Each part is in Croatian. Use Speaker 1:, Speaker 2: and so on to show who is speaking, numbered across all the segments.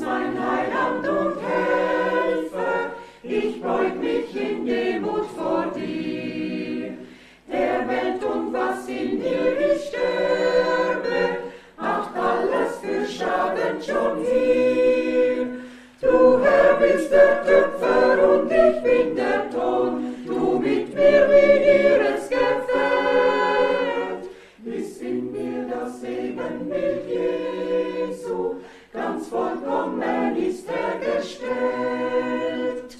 Speaker 1: mein Heiland und Helfer, ich beug mich in Demut vor dir. Der Welt und was in ihr ich sterbe, macht alles für Schaden schon hier. Du Herr bist der Töpfer und ich bin der Ton, du mit mir, wie dir es gefällt. Bis in mir das Ebenbild Jesu, ganz vollkommen ist er gestellt.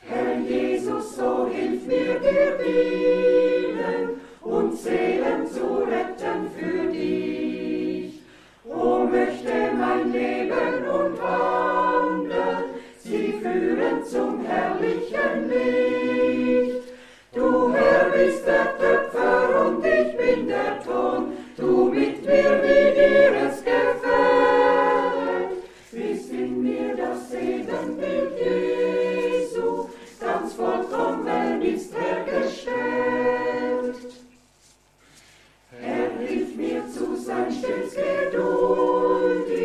Speaker 1: Herr Jesus, so hilf mir dir dienen und Seelen zu retten für dich. O möchte mein Leben und Wandel sie führen zum herrlichen Licht. Du Herr bist der Töpfer und ich bin der Ton, du mit mir, wie dir es gefällt. Bis in mir das Ebenbild Jesu, ganz vollkommen ist er gestellt. Herr, hilf mir zu sein stets geduldig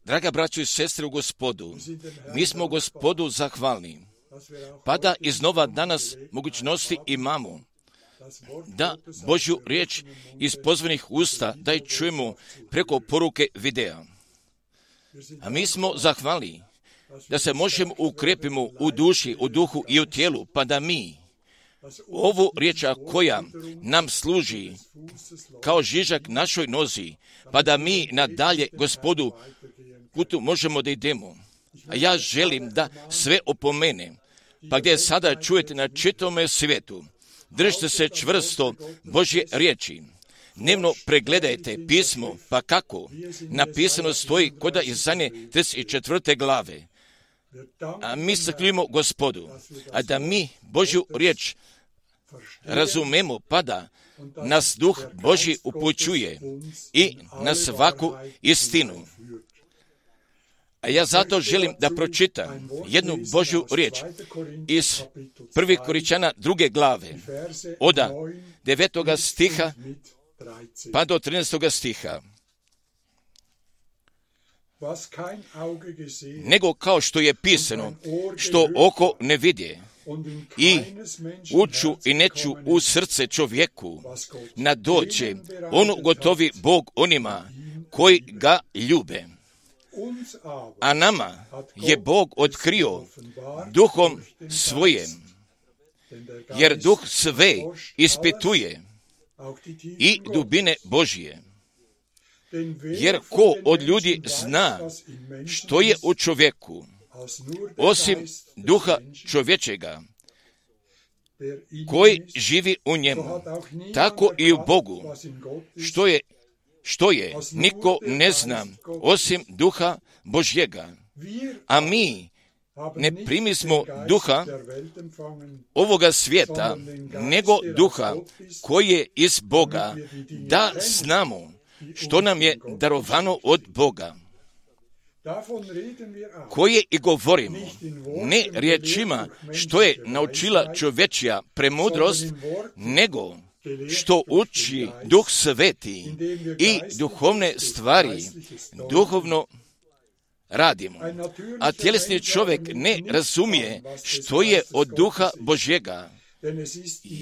Speaker 2: Draga braćo i sestre u Gospodu, mi smo Gospodu zahvalni, pa da iznova danas mogućnosti imamo da Božju riječ iz pozvanih usta da je čujemo preko poruke videa. A mi smo zahvalni da se možemo ukrepimo u duši, u duhu i u tijelu, pa da mi ovu riječ koja nam služi kao žižak našoj nozi, pa da mi nadalje Gospodu putu možemo da idemo. A ja želim da sve opomenem, pa gdje sada čujete na čitavome svijetu, držite se čvrsto Božje riječi. Dnevno pregledajte pismo, pa kako napisano stoji kod Izaije 34. glave. A mi zahvaljujemo Gospodu, a da mi Božju riječ razumemo, pa da nas Duh Božji upućuje i na svaku istinu. A ja zato želim da pročitam jednu Božju riječ iz 1. Korinćana 2. glave, od 9. stiha pa do 13. stiha. Nego kao što je pisano, što oko ne vidje, i uču i neću u srce čovjeku nadoće, on ugotovi Bog onima koji ga ljube. A nama je Bog otkrio duhom svojim, jer duh sve ispituje i dubine Božje. Jer ko od ljudi zna što je u čovjeku, osim duha čovječega, koji živi u njemu, tako i u Bogu, što je, niko ne zna, osim duha Božjega. A mi ne primismo duha ovoga svijeta, nego duha koji je iz Boga, da znamo što nam je darovano od Boga, koje i govorimo, ne riječima što je naučila čovječja premudrost, nego što uči Duh Sveti i duhovne stvari duhovno radimo. A tjelesni čovjek ne razumije što je od Duha Božjega,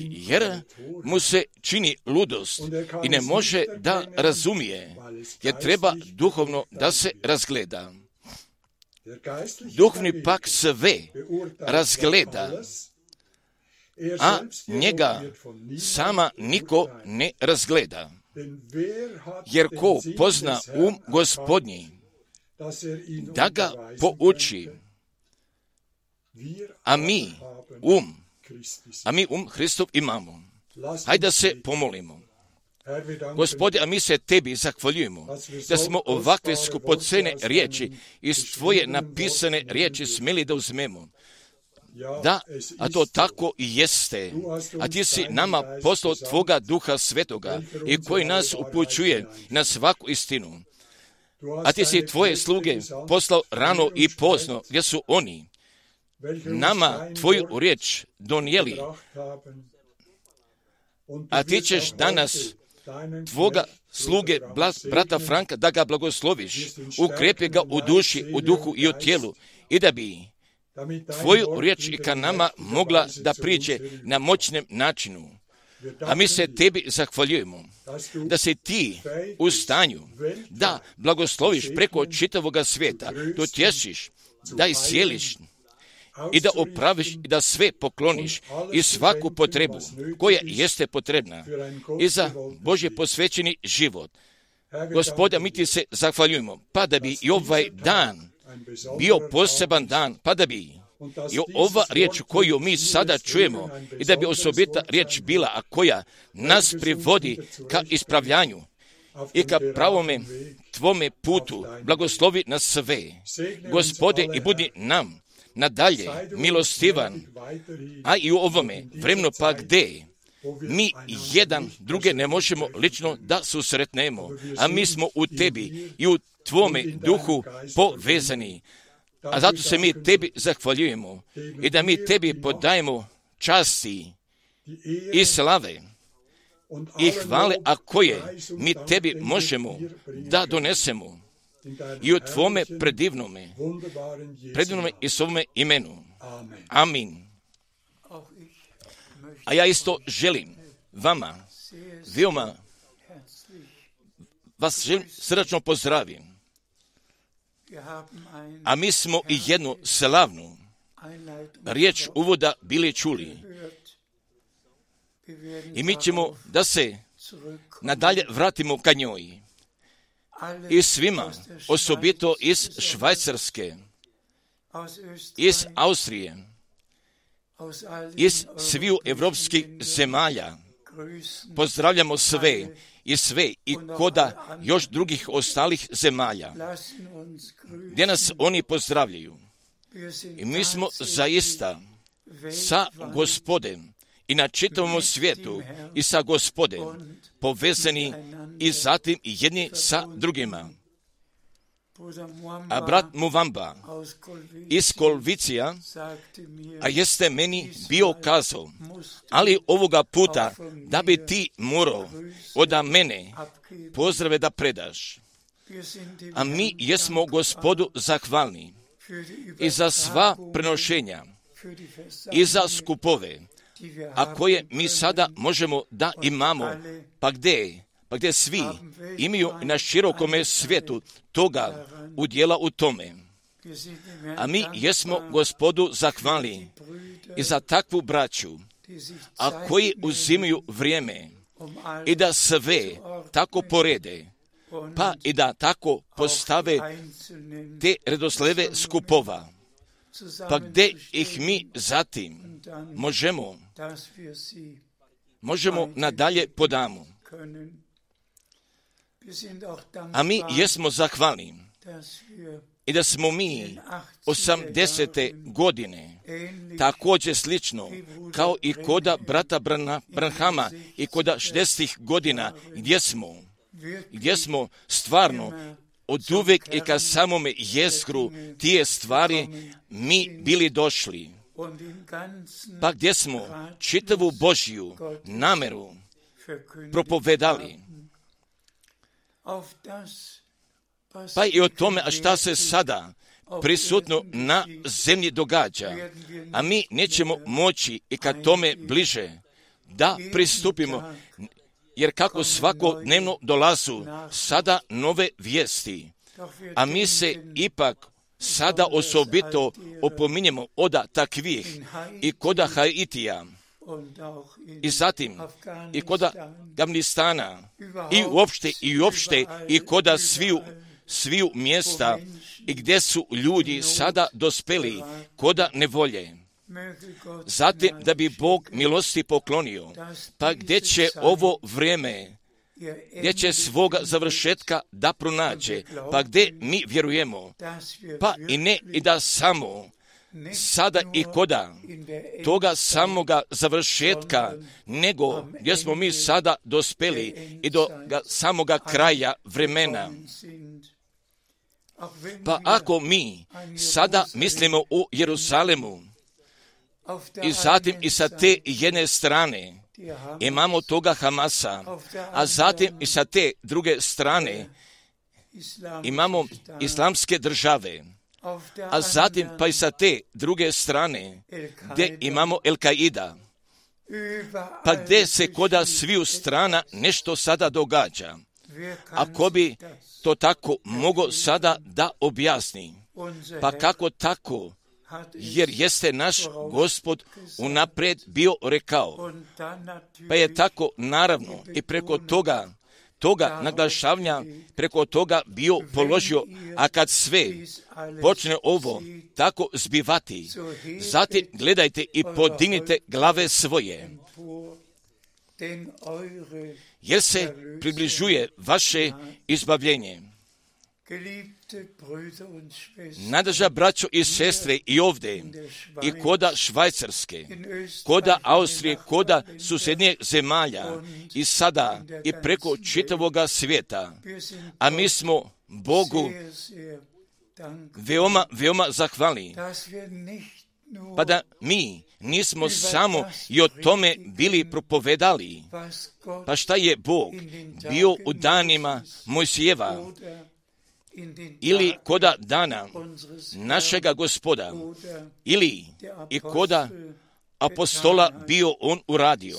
Speaker 2: jer mu se čini ludost i ne može da razumije, jer treba duhovno da se razgleda. Duhovni pak sve razgleda, a njega sama niko ne razgleda. Jer ko pozna Gospodnji, da ga pouči, a mi Hristov imamo. Hajde da se pomolimo. Gospode, a mi se tebi zahvaljujemo da smo ovakve skupocene riječi iz tvoje napisane riječi smjeli da uzmemo. Da, a to tako i jeste. A ti si nama poslao tvoga Duha Svetoga i koji nas upućuje na svaku istinu. A ti si tvoje sluge poslao rano i pozno, gdje su oni nama tvoju riječ donijeli. A ti ćeš danas tvoga sluge, brata Franka, da ga blagosloviš, ukrepi ga u duši, u duhu i u tijelu, i da bi tvoju riječ i ka nama mogla da priđe na moćnem načinu. A mi se tebi zahvaljujemo da si ti u stanju da blagosloviš preko čitavoga svijeta, da utješiš, da iscijeliš i da opraviš i da sve pokloniš i svaku potrebu koja jeste potrebna i za Božje posvećeni život. Gospoda, mi ti se zahvaljujemo, pa da bi i ovaj dan bio poseban dan, pa da bi i ova riječ koju mi sada čujemo i da bi osobita riječ bila, a koja nas privodi ka ispravljanju i ka pravome tvome putu, blagoslovi nas sve, Gospode, i budi nam nadalje milostivan, a i u ovome vremenu pa gde mi jedan druge ne možemo lično da susretnemo, a mi smo u tebi i u tvome duhu povezani. A zato se mi tebi zahvaljujemo i da mi tebi podajemo časti i slave i hvale, a koje mi tebi možemo da donesemo i u tvome predivnome i svome imenu. Amin. A ja isto želim vama, veoma vas želim srdačno pozdravim. A mi smo i jednu slavnu riječ uvoda bili čuli. I mi ćemo da se nadalje vratimo ka njoj. I svima, osobito iz Švajcarske, iz Austrije, iz sviju evropskih zemalja, pozdravljamo sve i koda još drugih ostalih zemalja, gdje nas oni pozdravljaju. I mi smo zaista sa Gospodem i na čitavom svijetu i sa Gospodem povezani i zatim i jedni sa drugima. A brat Muvamba iz Kolvicija, a jeste meni bio kazao, ali ovoga puta da bi ti morao od mene pozdrave da predaš. A mi jesmo Gospodu zahvalni i za sva prenošenja i za skupove, a koje mi sada možemo da imamo, pa gdje svi imaju na širokome svijetu toga udjela u tome. A mi jesmo Gospodu zahvalni i za takvu braću, a koji uzimaju vrijeme i da sve tako porede, pa i da tako postave te redosleve skupova, pa gdje ih mi zatim možemo nadalje podamo. A mi jesmo zahvalni i da smo mi 80. godine također slično kao i koda brata Branhama i koda 60. godina gdje smo stvarno od uvek i ka samome jezgru tije stvari mi bili došli, pa gdje smo čitavu Božju nameru propovedali. Pa i o tome, a šta se sada prisutno na zemlji događa, a mi nećemo moći i ka tome bliže da pristupimo, jer kako svakodnevno dolazu sada nove vijesti, a mi se ipak sada osobito opominjemo od takvih i koda Haitija, i zatim i koda Afganistana i uopšte i koda sviju mjesta i gdje su ljudi sada dospeli koda nevolje. Zatim da bi Bog milosti poklonio, pa gdje će ovo vrijeme, gdje će svoga završetka da pronađe, pa gdje mi vjerujemo, pa i ne i da samo sada i koda toga samoga završetka, nego gdje smo mi sada dospeli i do samoga kraja vremena. Pa ako mi sada mislimo u Jeruzalemu i zatim i sa te jedne strane imamo toga Hamasa, a zatim i sa te druge strane imamo islamske države, a zatim pa i sa te druge strane gdje imamo El-Kaida, pa gdje se koda sviju strana nešto sada događa. Ako bi to tako mogo sada da objasni, pa kako tako, jer jeste naš Gospod unaprijed bio rekao, pa je tako naravno i preko toga toga naglašavanja, preko toga bio položio, a kad sve počne ovo tako zbivati, zatim gledajte i podignite glave svoje, jer se približuje vaše izbavljenje. Nadraža braćo i sestre i ovdje, i koda Švajcarske, koda Austrije, koda susjednjih zemalja, i sada i preko čitavoga svijeta, a mi smo Bogu veoma, veoma zahvalni, pa da mi nismo samo i o tome bili propovedali, pa šta je Bog bio u danima Mojsijeva, ili koda dana našega Gospoda, ili i koda apostola bio on uradio,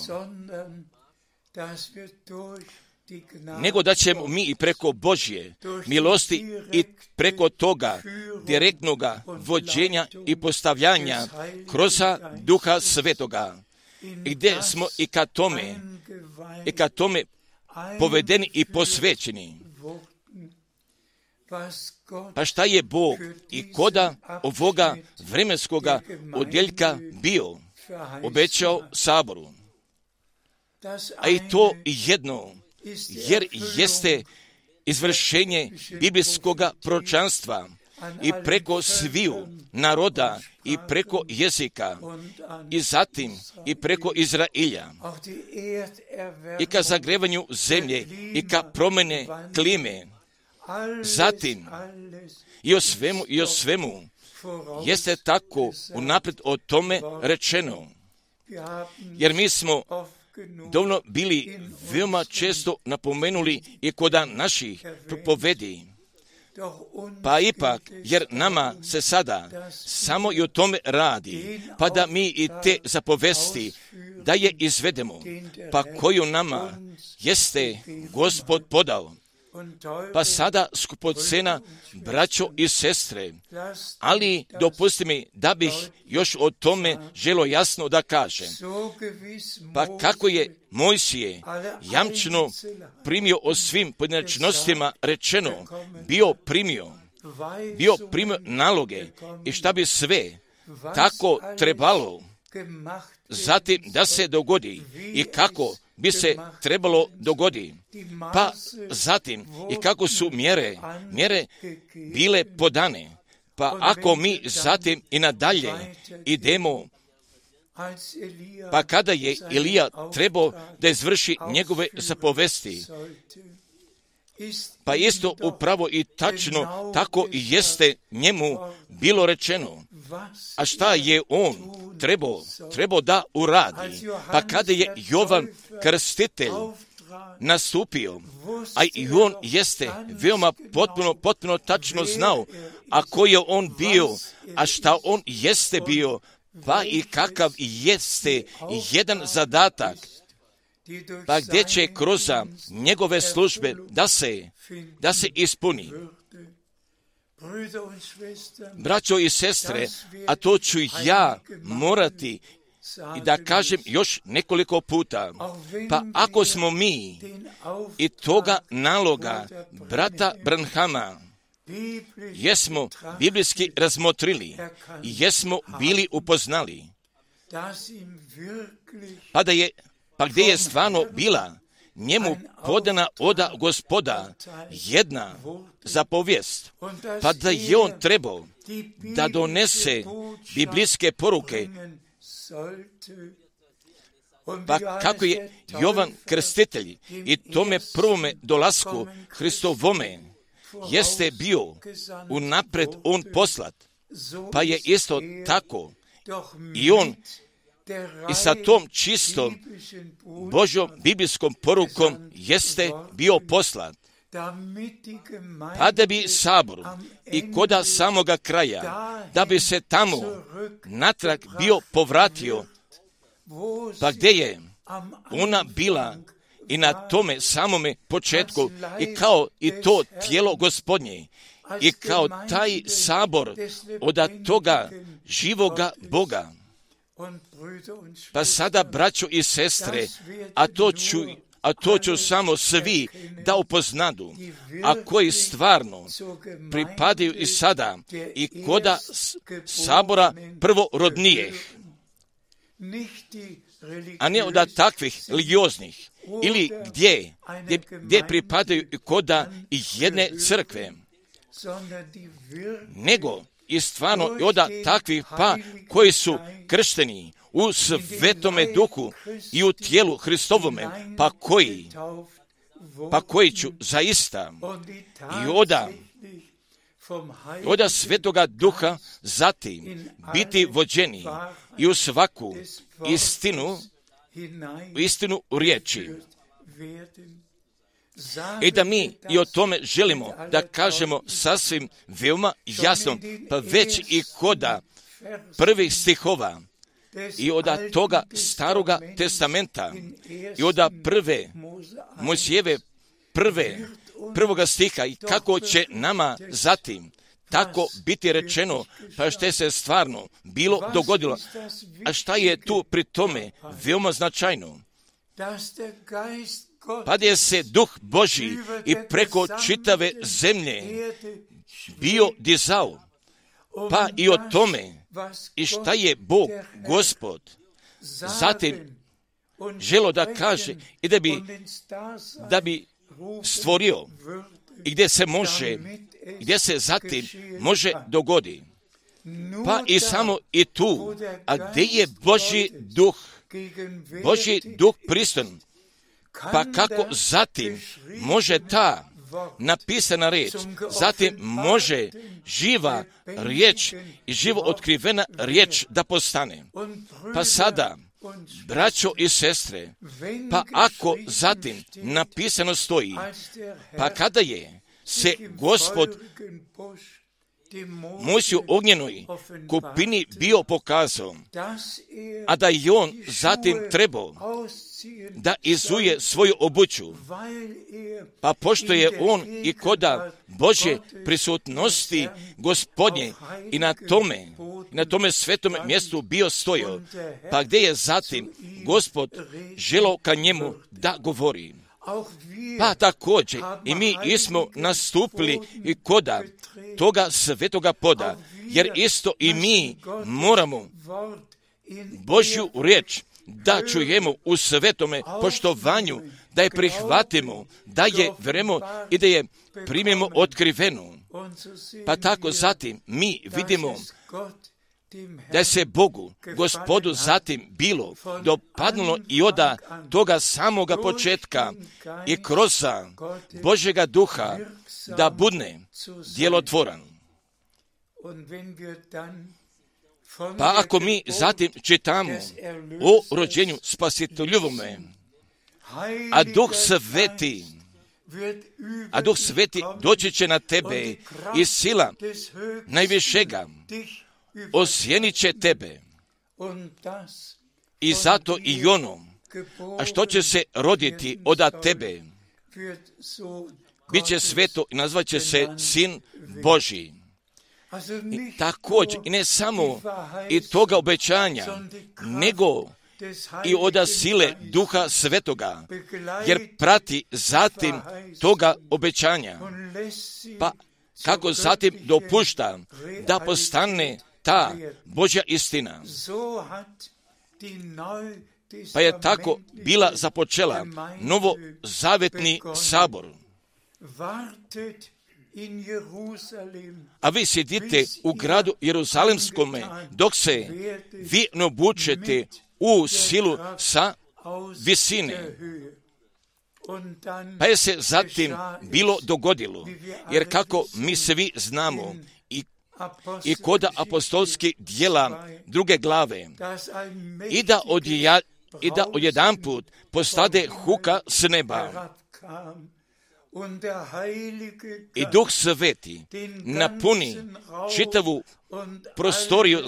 Speaker 2: nego da ćemo mi i preko Božje milosti i preko toga direktnoga vođenja i postavljanja kroz Duha Svetoga, gdje smo i ka tome povedeni i posvećeni. Pa šta je Bog i koda ovoga vremenskoga odjeljka bio obećao Saboru? A i to jedno, jer jeste izvršenje biblijskoga proročanstva i preko sviju naroda i preko jezika i zatim i preko Izrailja i ka zagrevanju zemlje i ka promjene klime. Zatim i o svemu jeste tako unaprijed o tome rečeno, jer mi smo dovoljno bili veoma često napomenuli i kod naših propovedi, pa ipak, jer nama se sada samo i o tome radi, pa da mi i te zapovesti da je izvedemo, pa koju nama jeste Gospod podao. Pa sada, skupocena braćo i sestre, ali dopusti mi da bih još o tome želo jasno da kažem. Pa kako je Mojsije jamčeno primio o svim pojedinačnostima rečeno, bio primio naloge i šta bi sve tako trebalo zatim da se dogodi i kako bi se trebalo dogodi, pa zatim i kako su mjere bile podane, pa ako mi zatim i nadalje idemo, pa kada je Ilija trebao da izvrši njegove zapovesti, pa isto upravo i tačno tako i jeste njemu bilo rečeno. A šta je on trebao da uradi? Pa kada je Jovan Krstitelj nastupio, a i on jeste veoma potpuno tačno znao, a ko je on bio, a šta on jeste bio, pa i kakav jeste jedan zadatak, pa gdje će kroz njegove službe da se ispuni. Braćo i sestre, a to ću ja morati i da kažem još nekoliko puta, pa ako smo mi i toga naloga brata Branhama jesmo biblijski razmotrili i jesmo bili upoznali, pa gdje je stvarno bila njemu podana od Gospoda jedna zapovijest, pa da je on trebao da donese biblijske poruke, pa kako je Jovan Krstitelj i tome prvome dolasku Hristovome jeste bio unapred on poslat, pa je isto tako i on i sa tom čistom Božjom biblijskom porukom jeste bio poslat, pa da bi Sabor i koda samoga kraja, da bi se tamo natrag bio povratio, pa gdje je ona bila i na tome samome početku i kao i to tijelo Gospodnje i kao taj Sabor od toga živoga Boga. Pa sada, braćo i sestre, a to ću samo svi da upoznadu, a koji stvarno pripadaju i sada i koda sabora prvorodnijih, a ne od takvih religioznih, ili gdje pripadaju i koda jedne crkve, nego i stvarno i od takvih pa koji su kršteni u Svetome Duhu i u tijelu Hristovome, pa koji ću zaista i od Svetoga Duha zatim biti vođeni i u svaku istinu u riječi. I da mi i o tome želimo da kažemo sasvim veoma jasno, pa već i koda prvih stihova i od toga Staroga testamenta i od prve Mojsijeve prvoga stiha i kako će nama zatim tako biti rečeno, pa što se stvarno bilo dogodilo. A šta je tu pri tome veoma značajno? Pa je se Duh Božji i preko čitave zemlje bio dizao, pa i o tome i šta je Bog, Gospod, zatim želo da kaže i da bi stvorio i gdje se zatim može dogodi. Pa i samo i tu, a gdje je Božji duh prisutan, pa kako zatim može ta napisana riječ, zatim može živa riječ i živo otkrivena riječ da postane. Pa sada, braćo i sestre, pa ako zatim napisano stoji, pa kada je se Gospod Mojsiju ognjenoj kupini bio pokazao, a da je on zatim trebao da izuje svoju obuću, pa pošto je on i koda Božje prisutnosti Gospodnje i na tome svetome mjestu bio stojao, pa gdje je zatim Gospod želao ka njemu da govori. Pa također i mi smo nastupili i koda toga svetoga poda, jer isto i mi moramo Božju riječ da čujemo u svetome poštovanju, da je prihvatimo, da je verujemo i da je primimo otkrivenu. Pa tako zatim mi vidimo da je se Bogu, Gospodu, zatim bilo dopadnulo i od toga samoga početka i kroz Božjega duha da budne djelotvoran. Pa ako mi zatim čitamo o rođenju Spasiteljovome, a Duh Sveti doći će na tebe i sila najvišega osjenit će tebe. I zato i ono, a što će se roditi od tebe, bit će sveto i nazvat će se Sin Božji. I također, i ne samo i toga obećanja, nego i od sile Duha Svetoga, jer prati zatim toga obećanja. Pa kako zatim dopušta da postane ta Božja istina. Pa je tako bila započela novozavetni sabor. A vi sjedite u gradu Jeruzalemskome, dok se vi ne obučete u silu sa visine. Pa je se zatim bilo dogodilo, jer kako mi svi znamo, i koda apostolskih djela 2. glave, i da odjedanput postade huka s neba, i Duh Sveti napuni čitavu prostoriju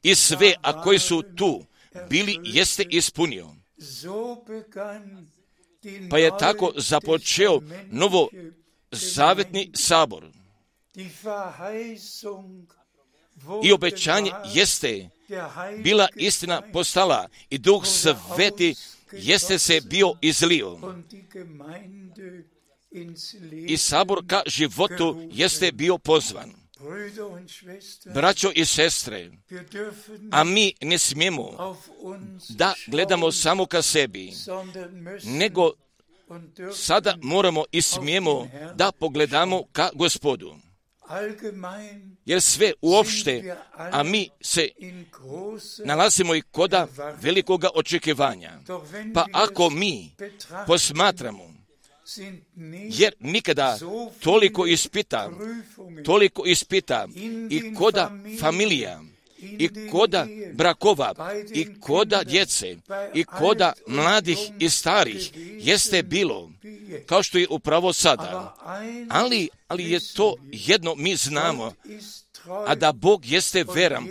Speaker 2: i sve, a koji su tu bili, jeste ispunio. Pa je tako započeo novozavetni sabor. I obećanje jeste bila istina postala i Duh Sveti jeste se bio izlio i sabor ka životu jeste bio pozvan. Braćo i sestre, a mi ne smijemo da gledamo samo ka sebi, nego sada moramo i smijemo da pogledamo ka Gospodu. Jer sve uopšte, a mi se nalazimo i koda velikoga očekivanja. Pa ako mi posmatramo, jer nikada toliko ispita i koda familija, i koda brakova, i koda djece, i koda mladih i starih, jeste bilo, kao što je upravo sada. Ali je to jedno mi znamo, a da Bog jeste veran,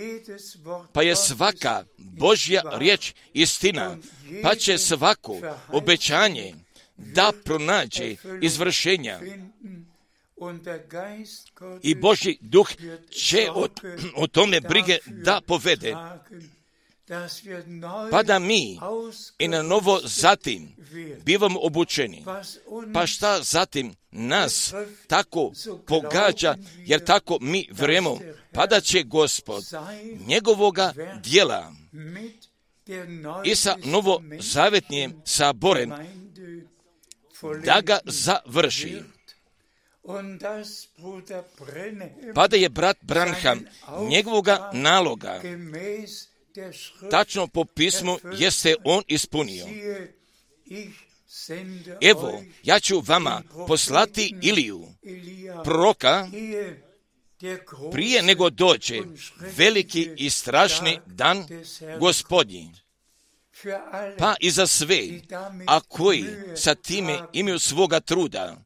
Speaker 2: pa je svaka Božja riječ istina, pa će svako obećanje da pronađe izvršenja. I Božji duh će o tome brige da povede, pa da mi i na novo zatim bivamo obučeni. Pa šta zatim nas tako pogađa, jer tako mi vremo, pa da će Gospod njegovoga djela i sa novozavetnim saborem da ga završi. Pa da je brat Branham njegovoga naloga tačno po pismu jeste on ispunio. Evo, ja ću vama poslati Iliju, proroka, prije nego dođe veliki i strašni dan Gospodnji. Pa i za sve, a koji sa time imaju svoga truda,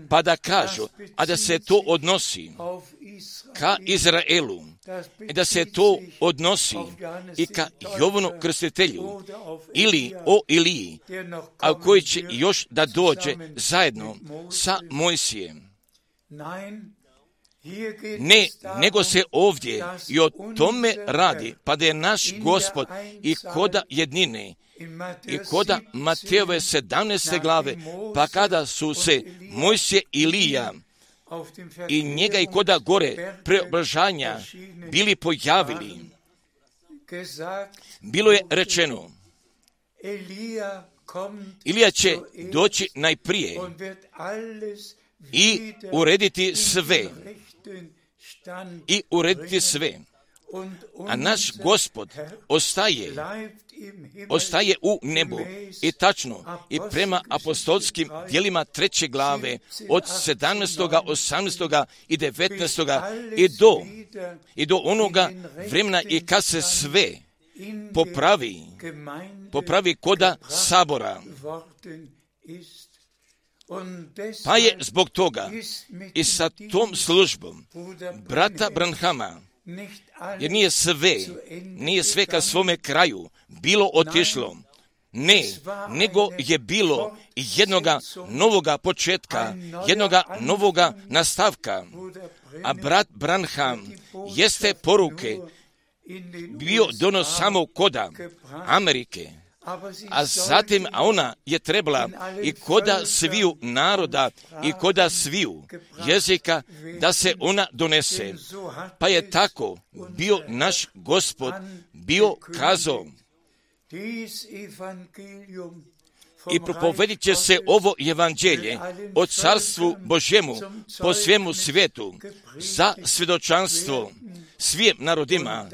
Speaker 2: pa da kažu, a da se to odnosi ka Izraelu, i da se to odnosi i ka Jovanu Krstitelju, ili o Iliji, a koji će još da dođe zajedno sa Mojsijem. Ne, nego se ovdje i o tome radi, pa da je naš Gospod i koda jednine, i koda Matejove 17. glave, pa kada su se Mojsije i Ilija i njega i koda gore preobražanja bili pojavili, bilo je rečeno, Ilija će doći najprije i urediti sve. A naš Gospod ostaje u nebu i tačno i prema apostolskim djelima 3. glave od 17., 18. i 19. i do onoga vremena i kad se sve popravi koda sabora. Pa je zbog toga i sa tom službom brata Branhama, jer nije sve ka svome kraju bilo otišlo. Ne, nego je bilo jednoga novoga početka, jednoga novoga nastavka. A brat Branham jeste poruke bio donos samo koda Amerike, a zatim ona je trebala i koda sviju naroda i koda sviju jezika da se ona donese. Pa je tako bio naš Gospod bio kazao i propovedit će se ovo evanđelje o carstvu Božjemu po svemu svijetu za svjedočanstvo svim narodima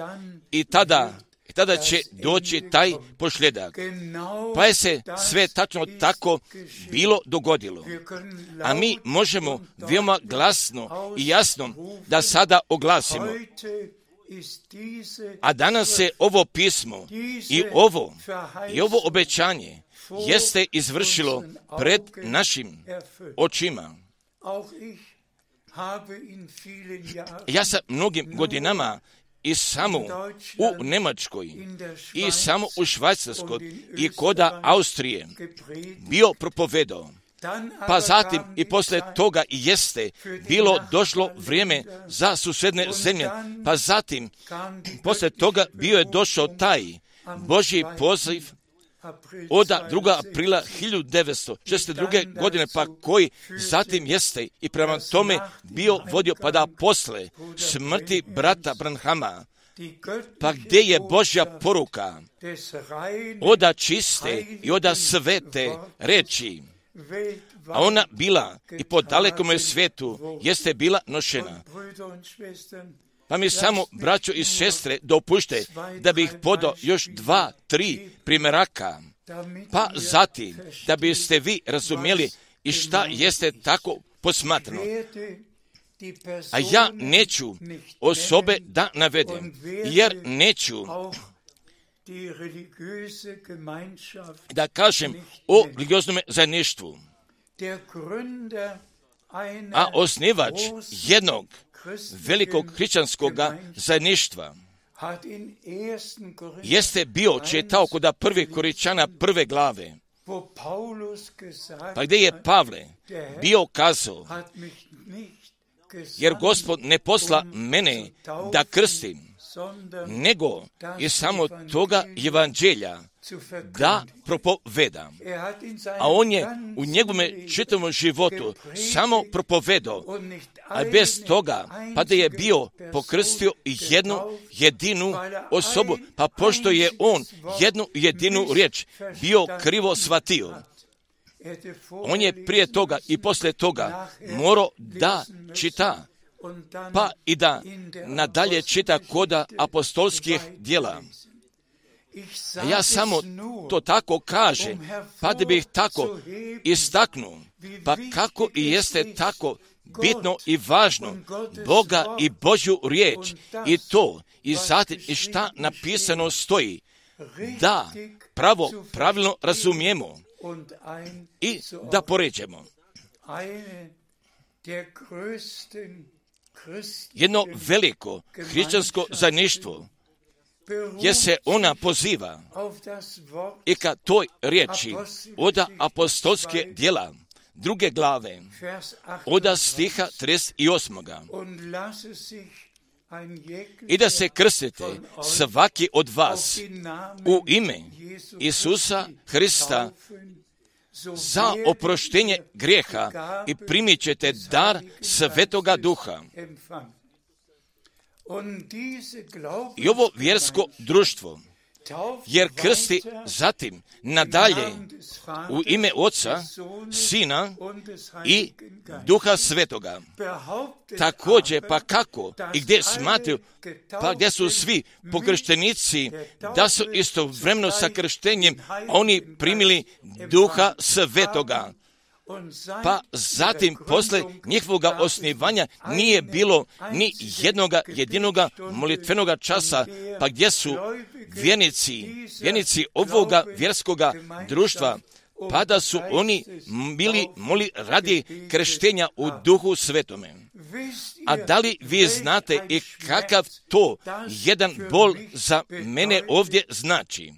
Speaker 2: i tada će doći taj pošljedak. Pa je se sve tačno tako bilo dogodilo. A mi možemo veoma glasno i jasno da sada oglasimo. A danas se ovo pismo i ovo obećanje jeste izvršilo pred našim očima. Ja sam mnogim godinama i samo u Njemačkoj, i samo u Švajcarskoj, i koda Austrije bio propovedao. Pa zatim i posle toga i jeste bilo došlo vrijeme za susedne zemlje. Pa zatim posle toga bio je došao taj Božji poziv od 2. aprila 1962. godine, pa koji zatim jeste i prema tome bio vodio, pa da posle smrti brata Branhama, pa gdje je Božja poruka oda čiste i oda svete reči, a ona bila i po dalekom svijetu jeste bila nošena. Pa mi samo, braćo i sestre, dopušte da bih podao još 2, 3 primjeraka, pa zatim da biste vi razumjeli i šta jeste tako posmatrano. A ja neću osobe da navedem, jer neću da kažem o religioznom zajedništvu. A osnivač jednog velikog hrišćanskog zajedništva jeste bio, čitao kod 1. Korinčana 1. glave, pa gdje je Pavle bio kazao, jer Gospod ne posla mene da krstim, nego je samo toga evanđelja da propovedam. A on je u njegovome čitavom životu samo propovedao, a bez toga, pa da je bio pokrstio jednu jedinu osobu, pa pošto je on jednu jedinu riječ bio krivo shvatio, on je prije toga i poslije toga morao da čita, pa i da nadalje čita koda apostolskih djela. A ja samo to tako kažem, pa da bih tako istaknuo, pa kako i jeste tako bitno i važno Boga i Božju riječ i to i zatim i šta napisano stoji, da pravilno razumijemo i da poređemo. Jedno veliko hrišćansko zajedništvo gdje se ona poziva i ka toj riječi od apostolske djela 2. glave od stiha 38. I da se krstite svaki od vas u ime Isusa Hrista za oproštenje grijeha i primit ćete dar Svetoga Duha. I ovo vjersko društvo, jer krsti zatim nadalje u ime Oca, Sina i Duha Svetoga. Također, pa kako i gdje smatraju, pa gdje su svi pokrštenici, da su istovremeno sa krštenjem oni primili Duha Svetoga. Pa zatim, posle njihovoga osnivanja, nije bilo ni jednoga jedinoga molitvenoga časa, pa gdje su vjernici ovoga vjerskoga društva, pa da su oni bili moli radi krštenja u Duhu Svetome. A da li vi znate i kakav to jedan bol za mene ovdje znači?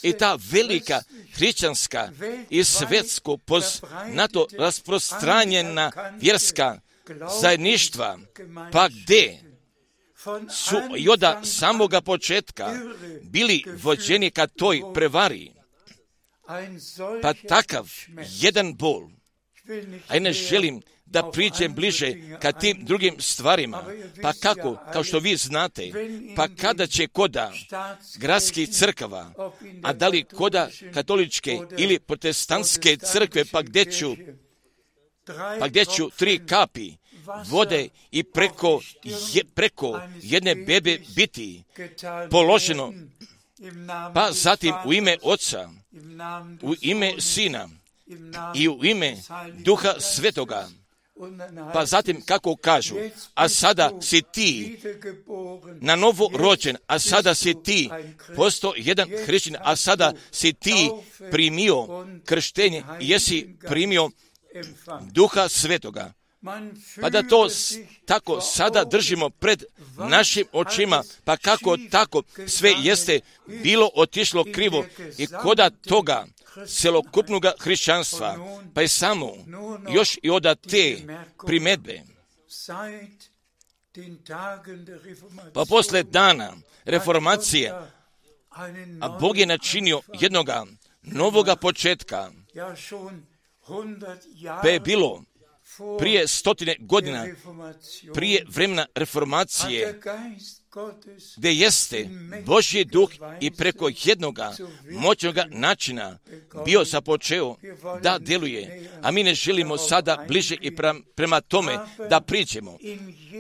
Speaker 2: I ta velika hrišćanska i svjetsko poznato rasprostranjena vjerska zajedništva, pa gdje su i od samoga početka bili vođeni ka toj prevari, pa takav jedan bol, a ne želim da priđem bliže ka tim drugim stvarima, pa kako, kao što vi znate, pa kada će koda gradskih crkava, a da li koda katoličke ili protestantske crkve, pa gdje ću 3 kapi vode i preko jedne bebe biti položeno, pa zatim u ime Oca, u ime Sina i u ime Duha Svetoga, pa zatim kako kažu, a sada si ti na novo rođen, a sada si ti postao jedan hrišćanin, a sada si ti primio krštenje i jesi primio Duha Svetoga. Pa da to tako sada držimo pred našim očima, pa kako tako sve jeste bilo otišlo krivo i koda toga celokupnog hrišćanstva, pa je samo još i od te primjedbe. Pa posle dana reformacije, a Bog je načinio jednoga novoga početka. Pa je bilo prije 100 godina, prije vremena reformacije, gdje jeste Božji duh i preko jednoga moćnoga načina bio započeo da djeluje, a mi ne želimo sada bliže i prema tome da priđemo.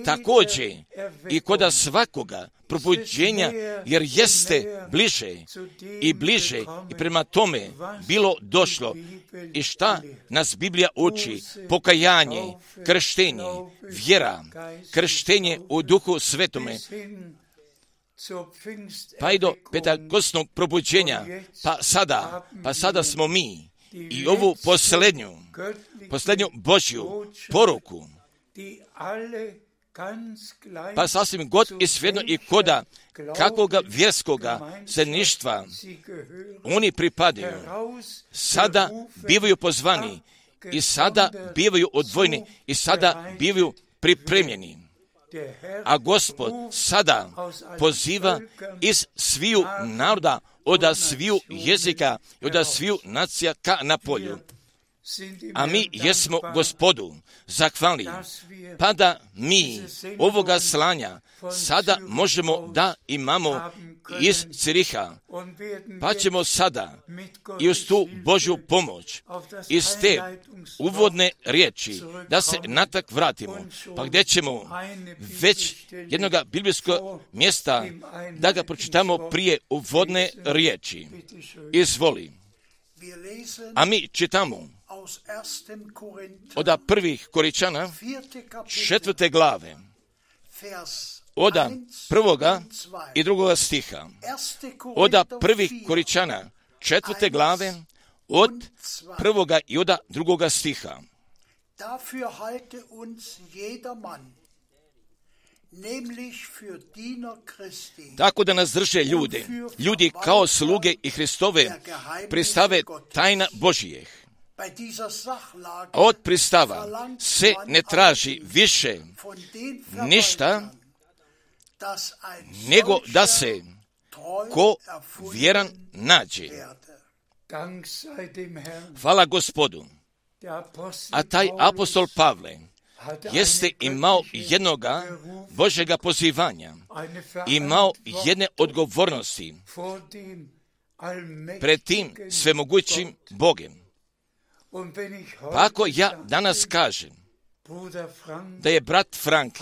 Speaker 2: Također i kod svakoga probuđenja, jer jeste bliže i prema tome bilo došlo. I šta nas Biblija uči? Pokajanje, krštenje, vjera, krštenje u Duhu Svetome, pa i do pentakostnog probuđenja, pa sada smo mi i ovu posljednju Božju poruku, pa sasvim god i svejedno i koda kakvoga vjerskoga zajedništva oni pripadaju, sada bivaju pozvani i sada bivaju odvojeni i sada bivaju pripremljeni. A Gospod sada poziva iz sviju naroda, od sviju jezika i od sviju nacija ka na polju. A mi jesmo Gospodu zahvalni, pa da mi ovoga slanja sada možemo da imamo iz Ciriha, pa ćemo sada i uz tu Božju pomoć, iz te uvodne riječi, da se natak vratimo, pa gdje ćemo već jednoga biblijskog mjesta da ga pročitamo prije uvodne riječi. Izvoli. A mi čitamo od 1. Korinčana 4. glave, od 1. i 2. stiha. Od 1. Korinčana 4. glave, od 1. i od 2. stiha.
Speaker 3: Dafür halte uns jeder Mann, nämlich für Diener Christi.
Speaker 2: Tako da nas drže ljudi kao sluge i Hristove pristave tajna Božijeh. A od pristava se ne traži više ništa, nego da se ko vjeran nađe. Hvala Gospodu. A taj apostol Pavle jeste imao jednoga Božjega pozivanja, imao jedne odgovornosti pred tim svemogućim Bogem. Pa ako ja danas kažem da je brat Frank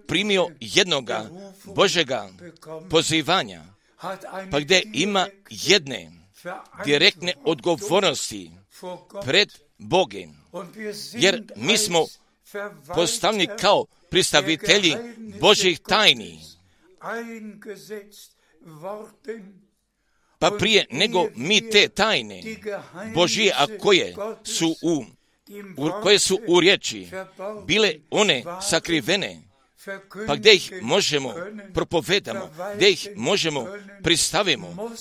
Speaker 2: primio jednoga Božjega pozivanja, pa gdje ima jedne direktne odgovornosti pred Bogem, jer mi smo postavljeni kao predstavitelji Božjih tajni, pa prije nego mi te tajne Božije, a koje su u riječi bile one sakrivene, pa gdje ih možemo propovedamo, gdje ih možemo pristavimo,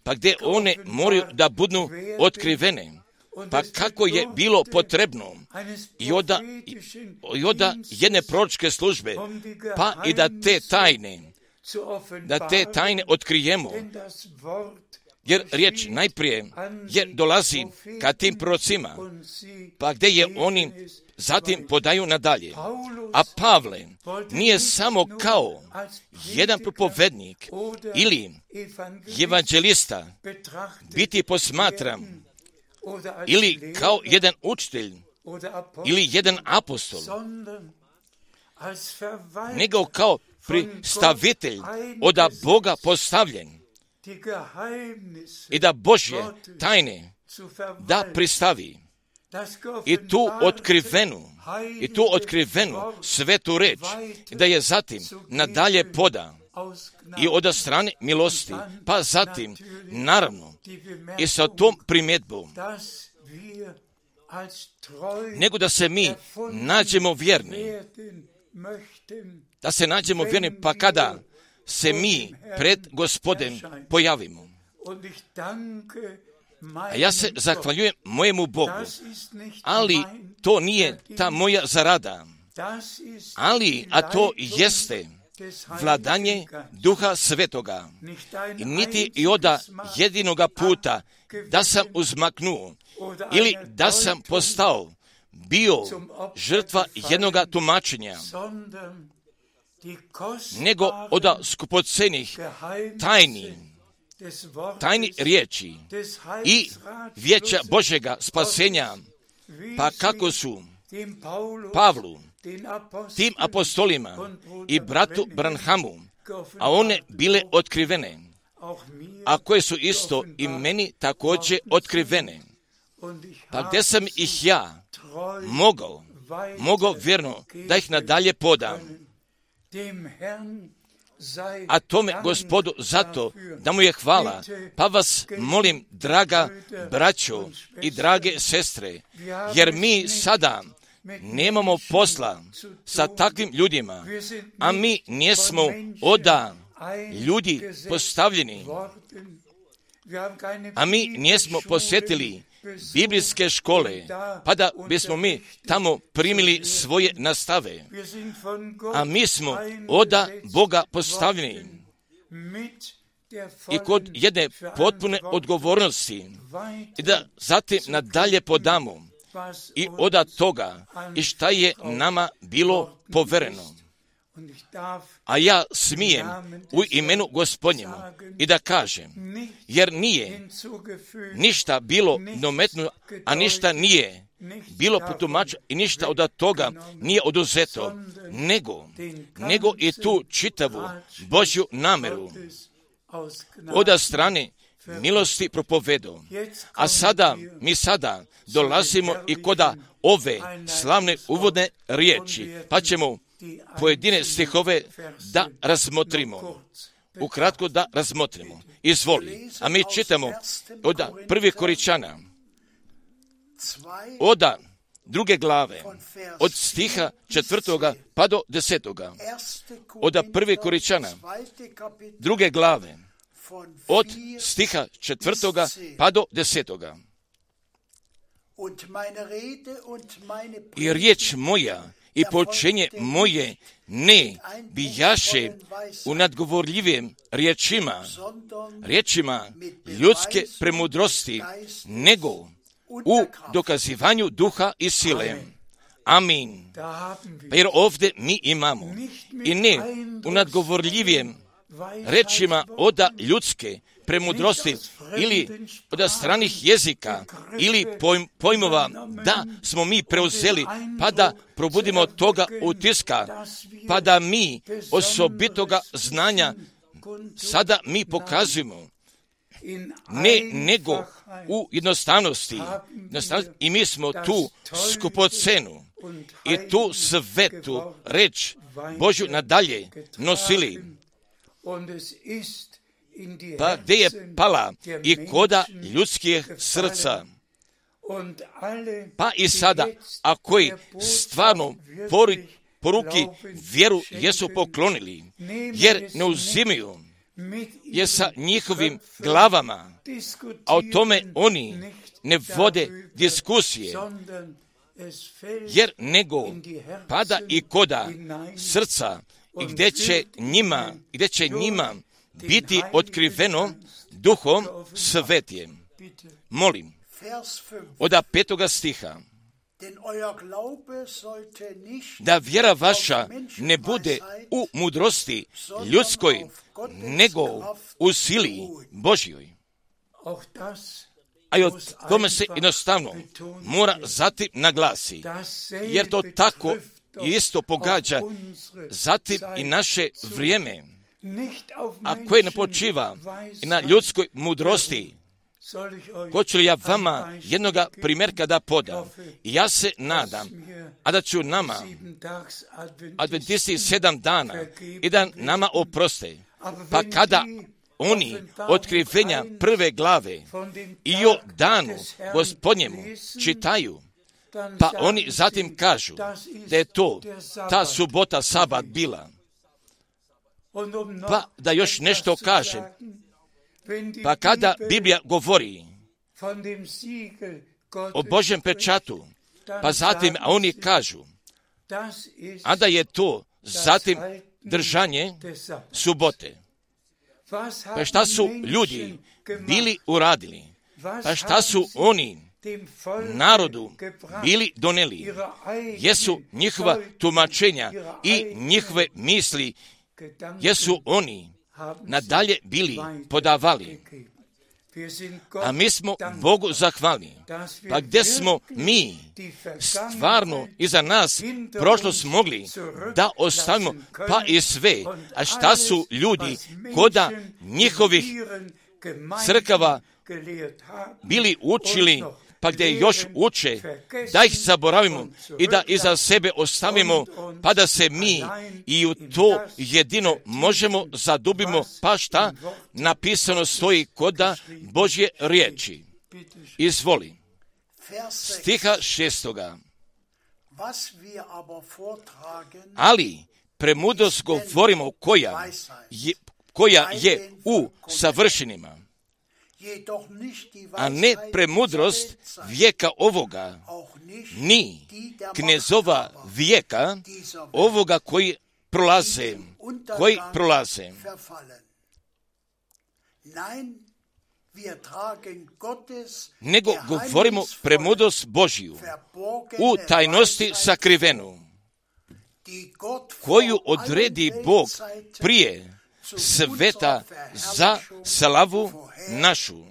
Speaker 2: pa gdje one moraju da budu otkrivene. Pa kako je bilo potrebno i od jedne proročke službe, pa i da te tajne otkrijemo, jer riječ najprije dolazi ka tim prorocima, pa gdje je oni zatim podaju nadalje. A Pavle nije samo kao jedan propovednik ili evanđelista biti posmatran, ili kao jedan učitelj, ili jedan apostol, nego kao pristavitelj od Boga postavljen i da Božje tajne da pristavi i tu otkrivenu svetu reč, da je zatim nadalje poda i od strane milosti, pa zatim naravno i sa tom primjedbom, nego da se mi nađemo vjerni, pa kada se mi pred Gospodem pojavimo. A ja se zahvaljujem mojemu Bogu, ali to nije ta moja zarada, a to jeste vladanje Duha Svetoga, niti i oda jedinoga puta da sam uzmaknuo ili da sam postao bio žrtva jednoga tumačenja, nego oda skupocenih tajni riječi i vijeća Božjega spasenja, pa kako su Pavlu, tim apostolima i bratu Branhamu, a one bile otkrivene, a koje su isto i meni također otkrivene, pa gdje sam ih ja mogao vjerno da ih nadalje podam. A tome Gospodu zato da mu je hvala. Pa vas molim, draga braćo i drage sestre, jer mi sada nemamo posla sa takvim ljudima, a mi nismo oda ljudi postavljeni, a mi nismo posjetili biblijske škole, pa da bismo mi tamo primili svoje nastave. A mi smo oda Boga postavljeni i kod jedne potpune odgovornosti i da zatim nadalje podamo i oda toga i šta je nama bilo povereno. A ja smijem u imenu Gospodnjemu i da kažem, jer nije ništa bilo dometno, a ništa nije bilo potumačeno i ništa od toga nije oduzeto, nego i tu čitavu Božju nameru od strane milosti propovedu. A mi sada dolazimo i koda ove slavne uvodne riječi, pa ćemo pojedine stihove da razmotrimo. Ukratko da razmotrimo. Izvoli. A mi čitamo od 1. Koričana, od 2. glave, od stiha 4. pa do 10. Od 1. Koričana, 2. glave, od stiha 4. pa do 10. I riječ moja i poučenje moje ne bijaše u nadgovorljivim riječima ljudske premudrosti, nego u dokazivanju duha i sile. Amin. Pa jer ovdje mi imamo i ne u nadgovorljivim rečima oda ljudske premudrosti ili od stranih jezika ili pojmova da smo mi preuzeli pa da probudimo od toga utiska, pa da mi osobitoga znanja sada mi pokazujemo, nego u jednostavnosti i mi smo tu skupocenu i tu svetu reč Božju nadalje nosili. Pa gdje je pala i koda ljudskih srca. Pa i sada, a koji stvarno poruki vjeru jesu poklonili, jer ne uzimaju je sa njihovim glavama, a o tome oni ne vode diskusije, jer nego pada i koda srca i gdje će njima biti otkriveno Duhom Svetijem. Molim, od 5. stiha, da vjera vaša ne bude u mudrosti ljudskoj, nego u sili Božjoj. A o tome se jednostavno mora zatim naglasi, jer to tako isto pogađa zatim i naše vrijeme, a koje ne počiva na ljudskoj mudrosti. Hoću li ja vama jednoga primjerka da podam? Ja se nadam, a da ću nama, adventisti 7 dana, i da nama oproste. Pa kada oni otkrivenja 1. glave i o danu Gospodnjemu čitaju, pa oni zatim kažu da je to ta subota, sabat bila. Pa da još nešto kažem, pa kada Biblija govori o Božjem pečatu, pa zatim oni kažu, a da je to zatim držanje subote. Pa šta su ljudi bili uradili? Pa šta su oni narodu bili doneli? Jesu njihova tumačenja i njihove misli, jesu oni nadalje bili podavali. A mi smo Bogu zahvalni. Pa gdje smo mi stvarno iza nas prošlost mogli da ostavimo, pa i sve. A šta su ljudi koda njihovih crkava bili učili, pa gdje još uče, da ih zaboravimo i da iza sebe ostavimo, pa da se mi i u to jedino možemo zadubimo, pa šta napisano stoji koda Božje riječi. Izvoli. Stiha 6. Ali premudrost govorimo koja je u savršenima, a ne premudrost vijeka ovoga, ni knezova vijeka ovoga koji prolaze. Nego govorimo premudrost Božju u tajnosti sakrivenu, koju odredi Bog prije sveta za slavu našu.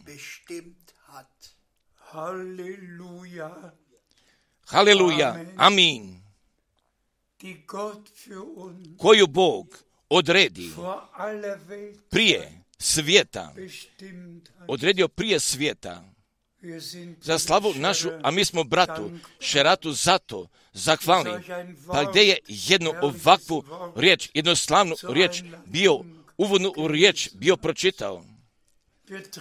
Speaker 2: Haleluja, amin. Koju Bog odredi prije svijeta, odredio prije svijeta za slavu našu, a mi smo bratu Šeratu zato zahvalni. Pa gdje je jednu ovakvu riječ, jednostavnu riječ bio, uvodnu riječ bio pročitao.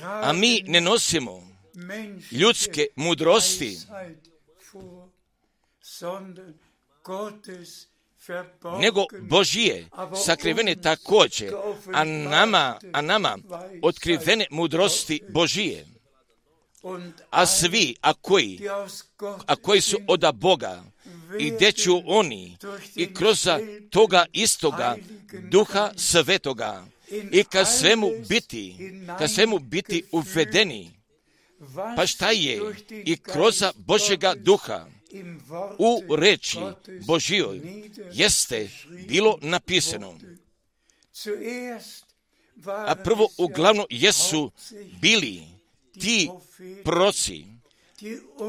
Speaker 2: A mi ne nosimo ljudske mudrosti, nego Božije sakrivene također, a nama otkrivene mudrosti Božije. A svi, a koji su od Boga, i gdje ću oni i kroz toga istoga Duha Svetoga i ka svemu biti uvedeni. Pa šta je i kroz Božjega Duha u reči Božjoj jeste bilo napisano. A prvo uglavnom jesu bili ti proroci,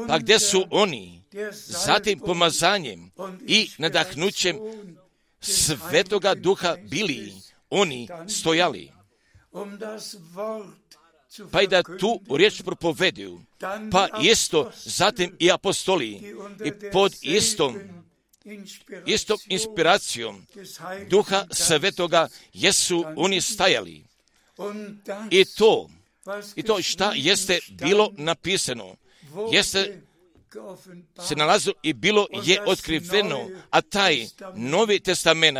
Speaker 2: pa gdje su oni zatim pomazanjem i nadahnućem Svetoga Duha bili oni stojali, pa i da tu riječ propoveduju, pa isto zatim i apostoli i pod istom inspiracijom Duha Svetoga jesu oni stajali. I to šta jeste bilo napisano, jeste se nalazilo i bilo je otkriveno, a taj Novi Testament,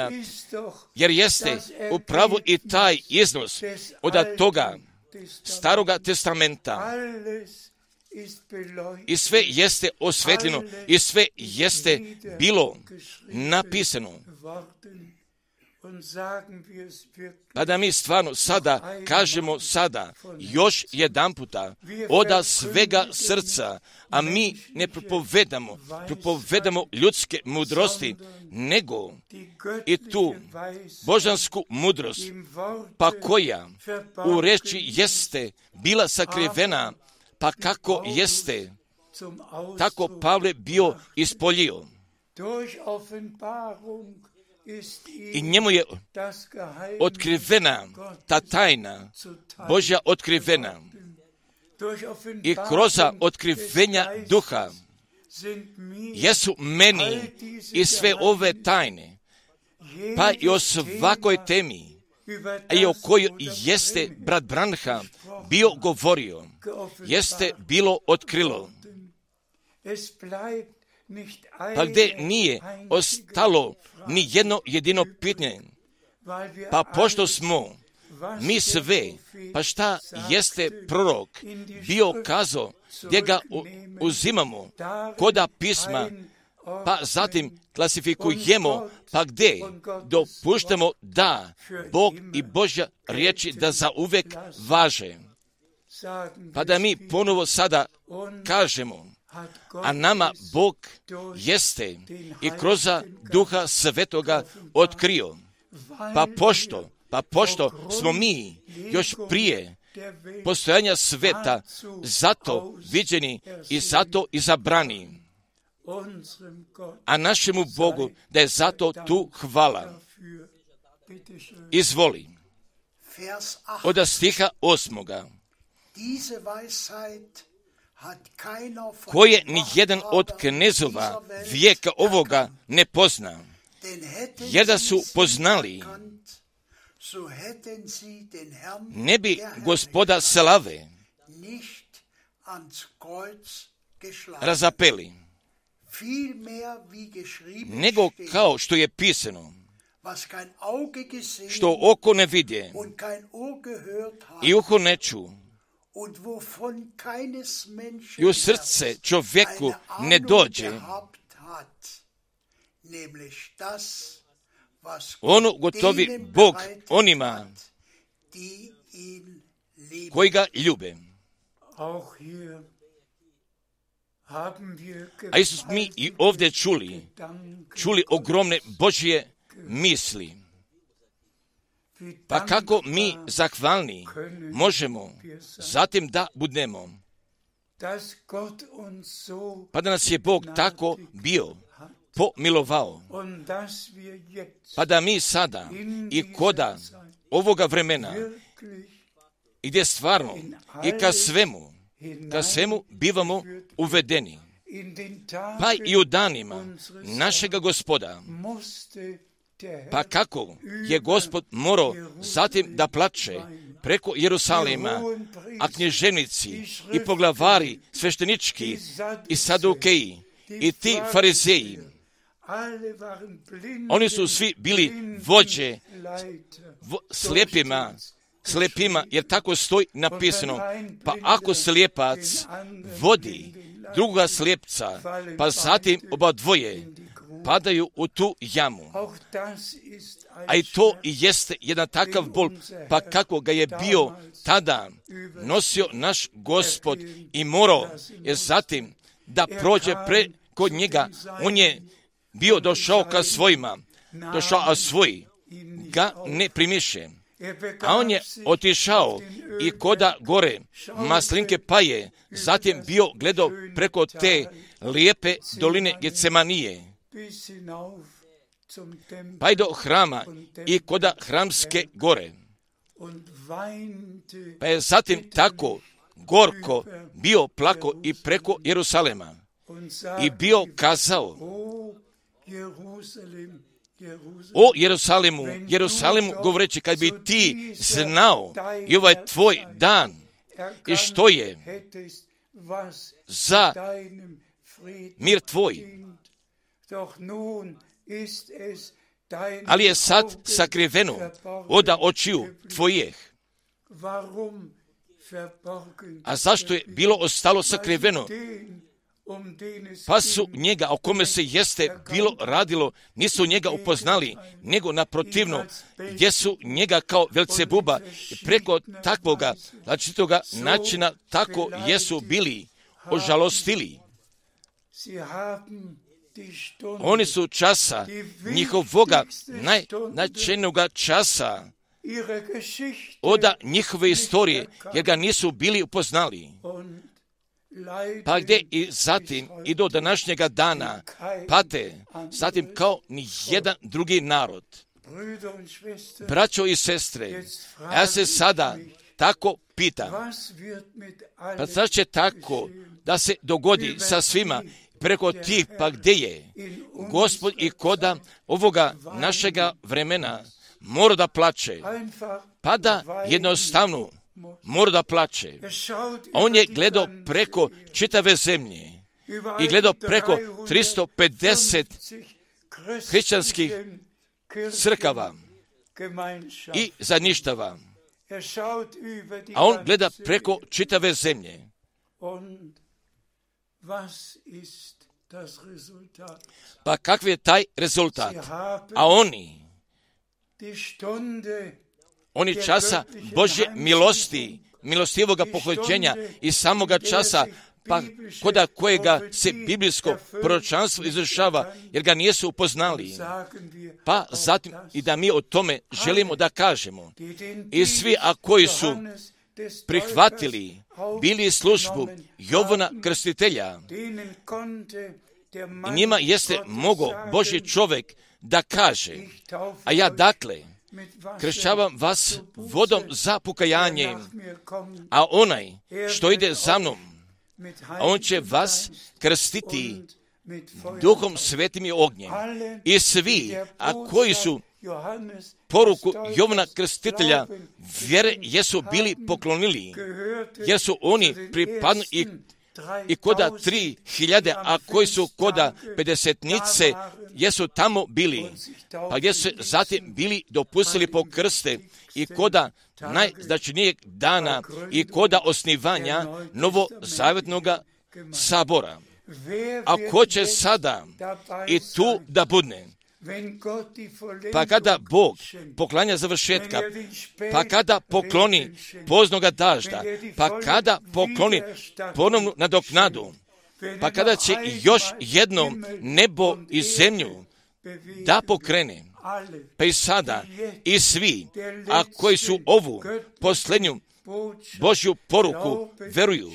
Speaker 2: jer jeste upravo i taj iznos od toga Staroga Testamenta. I sve jeste osvetljeno, i sve jeste bilo napisano. Pa da mi stvarno sada kažemo još jedan puta od svega srca, a mi ne propovedamo ljudske mudrosti, nego i tu božansku mudrost, pa koja u reči jeste bila sakrivena, pa kako jeste, tako Pavle bio ispoljio. I njemu je otkrivena ta tajna Božja otkrivena. I kroz otkrivenja Duha jesu meni i sve ove tajne, pa i o svakoj temi, i o kojoj jeste brat Branham bio govorio, jeste bilo otkrilo. Pa gdje nije ostalo ni jedno jedino pitanje, pa pošto smo mi sve, pa šta jeste prorok bio kazao, gdje ga uzimamo koda pisma, pa zatim klasifikujemo, pa gdje dopuštamo da Bog i Božja riječi da zauvek važe. Pa da mi ponovo sada kažemo, a nama Bog jeste i kroz Duha Svetoga otkrio. Pa pošto smo mi još prije postojanja sveta zato viđeni i zato izabrani, a našemu Bogu da je zato tu hvala. Izvoli. Od stiha 8. Koje ni jedan od knezova vijeka ovoga ne pozna, jer da su poznali, ne bi Gospoda slave razapeli, nego kao što je pisano, što oko ne vidje i uho ne ču i u srce čovjeku ne dođe, ono gotovi Bog onima koji ga ljube. A isto smo mi i ovdje čuli ogromne Božje misli. Pa kako mi zahvalni možemo zatim da budemo, pa da nas je Bog tako bio pomilovao, pa da mi sada i koda ovoga vremena i gdje stvarno i ka svemu bivamo uvedeni, pa i u danima našega Gospoda, pa kako je Gospod morao zatim da plače preko Jerusalima, a knježevnici i poglavari sveštenički i sadukeji i ti farizeji, oni su svi bili vođe slijepima, jer tako stoji napisano. Pa ako slijepac vodi druga slijepca, pa zatim oba dvoje padaju u tu jamu. A i to i jeste jedan takav bol, pa kako ga je bio tada nosio naš Gospod i morao je zatim da prođe preko njega. On je bio došao ka svojima, a svoji ga ne primiše. A on je otišao i koda gore Maslinke, pa je zatim bio gledao preko te lijepe doline Getsemanije, pa i do hrama i koda Hramske gore. Pa je zatim tako gorko bio plako i preko Jerusalema i bio kazao: o Jerusalimu, govoreći, kad bi ti znao i ovaj tvoj dan i što je za mir tvoj, ali je sad sakriveno od očiju tvojih. A zašto je bilo ostalo sakriveno? Pa su njega, o kome se jeste bilo radilo, nisu njega upoznali, nego naprotivno, gdje su njega kao Velcebuba preko takvoga različitoga načina tako jesu bili ožalostili. Oni su časa njihovoga najznačajnijega časa od njihove istorije, jer ga nisu bili upoznali. Pa gdje i zatim i do današnjega dana pate, zatim kao ni jedan drugi narod. Braćo i sestre, ja se sada tako pitam, pa sad će tako da se dogodi sa svima preko tih, pa gdje je Gospod i koda ovoga našega vremena mora da plače, pa da jednostavno mora da plače. On je gledao preko čitave zemlje i gledao preko 350 hrišćanskih crkava i zajedništava. A on gleda preko čitave zemlje. Pa kakav je taj rezultat? A oni časa Božje milosti, milostivoga pohođenja i samoga časa, pa koda kojega se biblijsko proročanstvo izvršava, jer ga nisu upoznali. Pa zatim i da mi o tome želimo da kažemo. I svi, a koji su prihvatili, bili službu Jovana Krstitelja, i njima jeste mogo Božji čovjek da kaže, a ja dakle kršćavam vas vodom za pokajanje, a onaj što ide za mnom, a on će vas krstiti Duhom Svetim i ognjem. I svi, a koji su poruku Jovana Krstitelja vjere jesu bili poklonili, jer su oni pripadni i koda 3000, a koji su koda 50-nice, jesu tamo bili, pa gdje su zatim bili dopustili po krste i koda najznačajnijeg dana i koda osnivanja novozavjetnog sabora. A ko će sada i tu da budne? Pa kada Bog poklanja završetka, pa kada pokloni poznoga dažda, pa kada pokloni ponovnu nadoknadu, pa kada će još jednom nebo i zemlju da pokrene, pa i sada i svi, a koji su ovu posljednju Božju poruku veruju,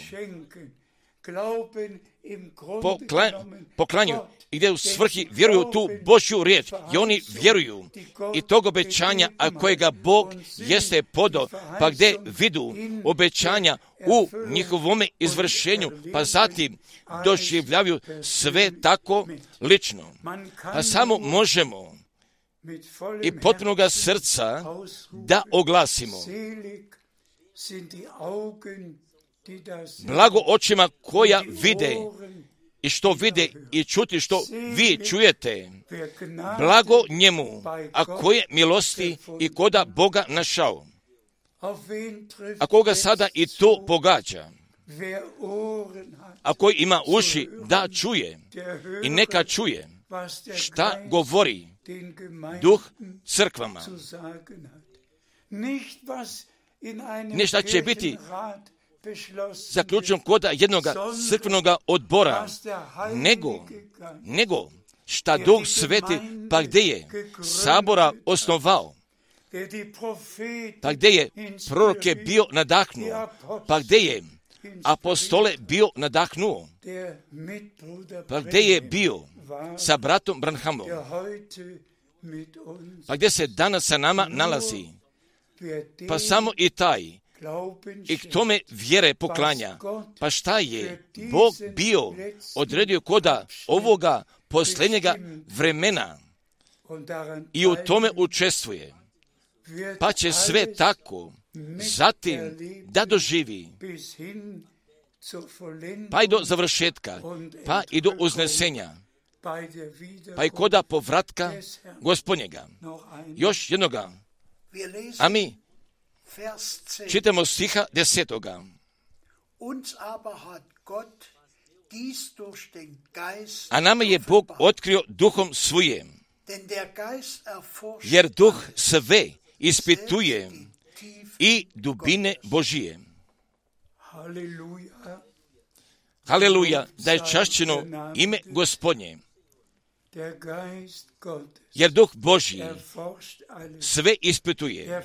Speaker 2: poklanju i gdje u svrhi vjeruju tu Božju riječ i oni vjeruju i tog obećanja, a kojega Bog jeste podao, pa gdje vidu obećanja u njihovome izvršenju, pa zatim doživljavaju sve tako lično. Pa samo možemo i potpunoga srca da oglasimo. Blago očima koja vide i što vide i čuti što vi čujete. Blago njemu, a koje milosti i koda Boga našao. A koga sada i to pogađa. A koji ima uši da čuje i neka čuje šta govori Duh crkvama. Ne šta će biti zaključen koda jednog crkvenog odbora, nego šta Duh Sveti, pa gdje je sabora osnovao, pa gdje je proroke bio nadahnuo, pa gdje je apostole bio nadahnuo, pa gdje je bio sa bratom Branhamom, pa gdje se danas sa nama nalazi, pa samo i taj i k tome vjere poklanja. Pa šta je Bog bio odredio koda ovoga posljednjega vremena i u tome učestvuje, pa će sve tako zatim da doživi, pa i do završetka, pa i do uznesenja, pa i koda povratka Gospodnjega. Još jednoga. A mi čitamo stiha 10. A nama je Bog otkrio duhom svojim, jer duh sve ispituje i dubine Božije. Haleluja, da je čašćeno ime Gospodnje. Jer duh Božji sve ispituje,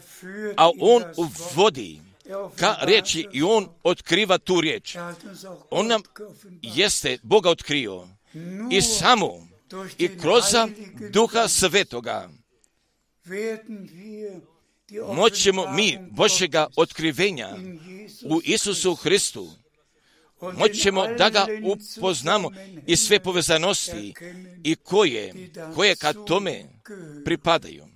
Speaker 2: a on uvodi ka riječi i on otkriva tu riječ. On nam jeste Boga otkrio i samo i kroz Duha Svetoga moćemo mi Božjega otkrivenja u Isusu Hristu, moćemo da ga upoznamo i sve povezanosti i koje ka tome pripadaju.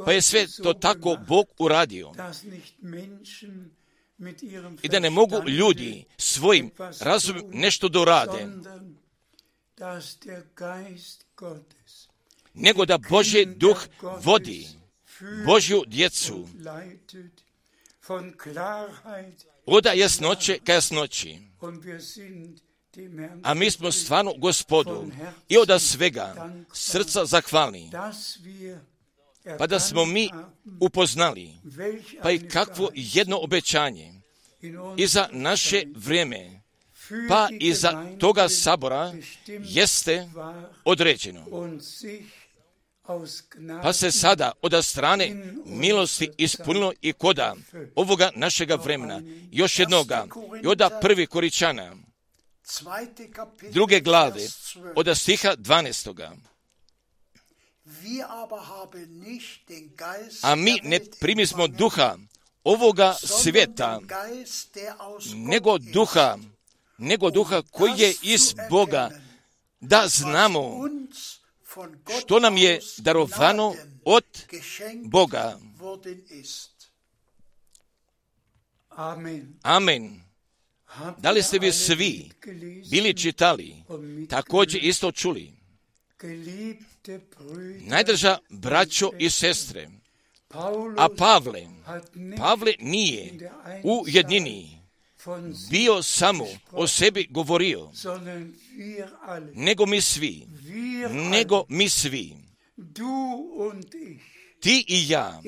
Speaker 2: Pa je sve to tako Bog uradio i da ne mogu ljudi svojim razumom nešto dorade, nego da Božji duh vodi Božju djecu od jasnoće ka jasnoći. A mi smo stvarno Gospodu i od svega srca zahvalni, pa da smo mi upoznali, pa i kakvo jedno obećanje i za naše vrijeme, pa i za toga sabora jeste određeno. Pa se sada od strane milosti ispunilo i koda ovoga našega vremena. Još jednoga, i od 1. Koričana, 2. glave, od stiha 12. A mi ne primismo duha ovoga svijeta, nego duha koji je iz Boga, da znamo što nam je darovano od Boga. Amen. Da li ste vi svi bili čitali, također isto čuli? Najdraža braćo i sestre, a Pavle nije u jednini bio samo o sebi govorio, nego mi svi, ti i ja,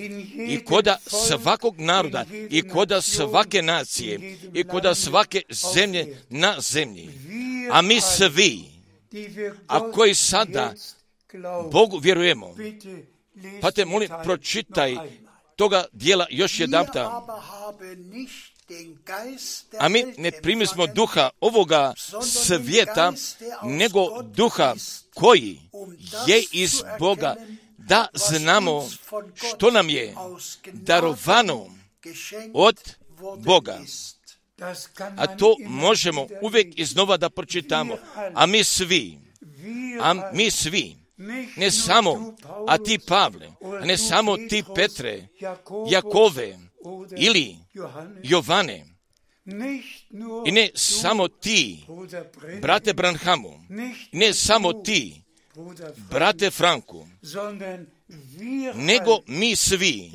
Speaker 2: i koda svakog naroda, i koda svake nacije, i koda svake zemlje na zemlji, a mi svi, a koji sada Bogu vjerujemo. Pa te molim, pročitaj toga dijela još jedanputa. A mi ne primismo duha ovoga svijeta, nego duha koji je iz Boga, da znamo što nam je darovano od Boga. A to možemo uvijek iznova da pročitamo. A mi svi, ne samo, a ti Pavle, a ne samo ti Petre, Jakove ili Jovane, i ne samo ti, brate Branhamu, ne samo ti, brate Franku, nego mi svi,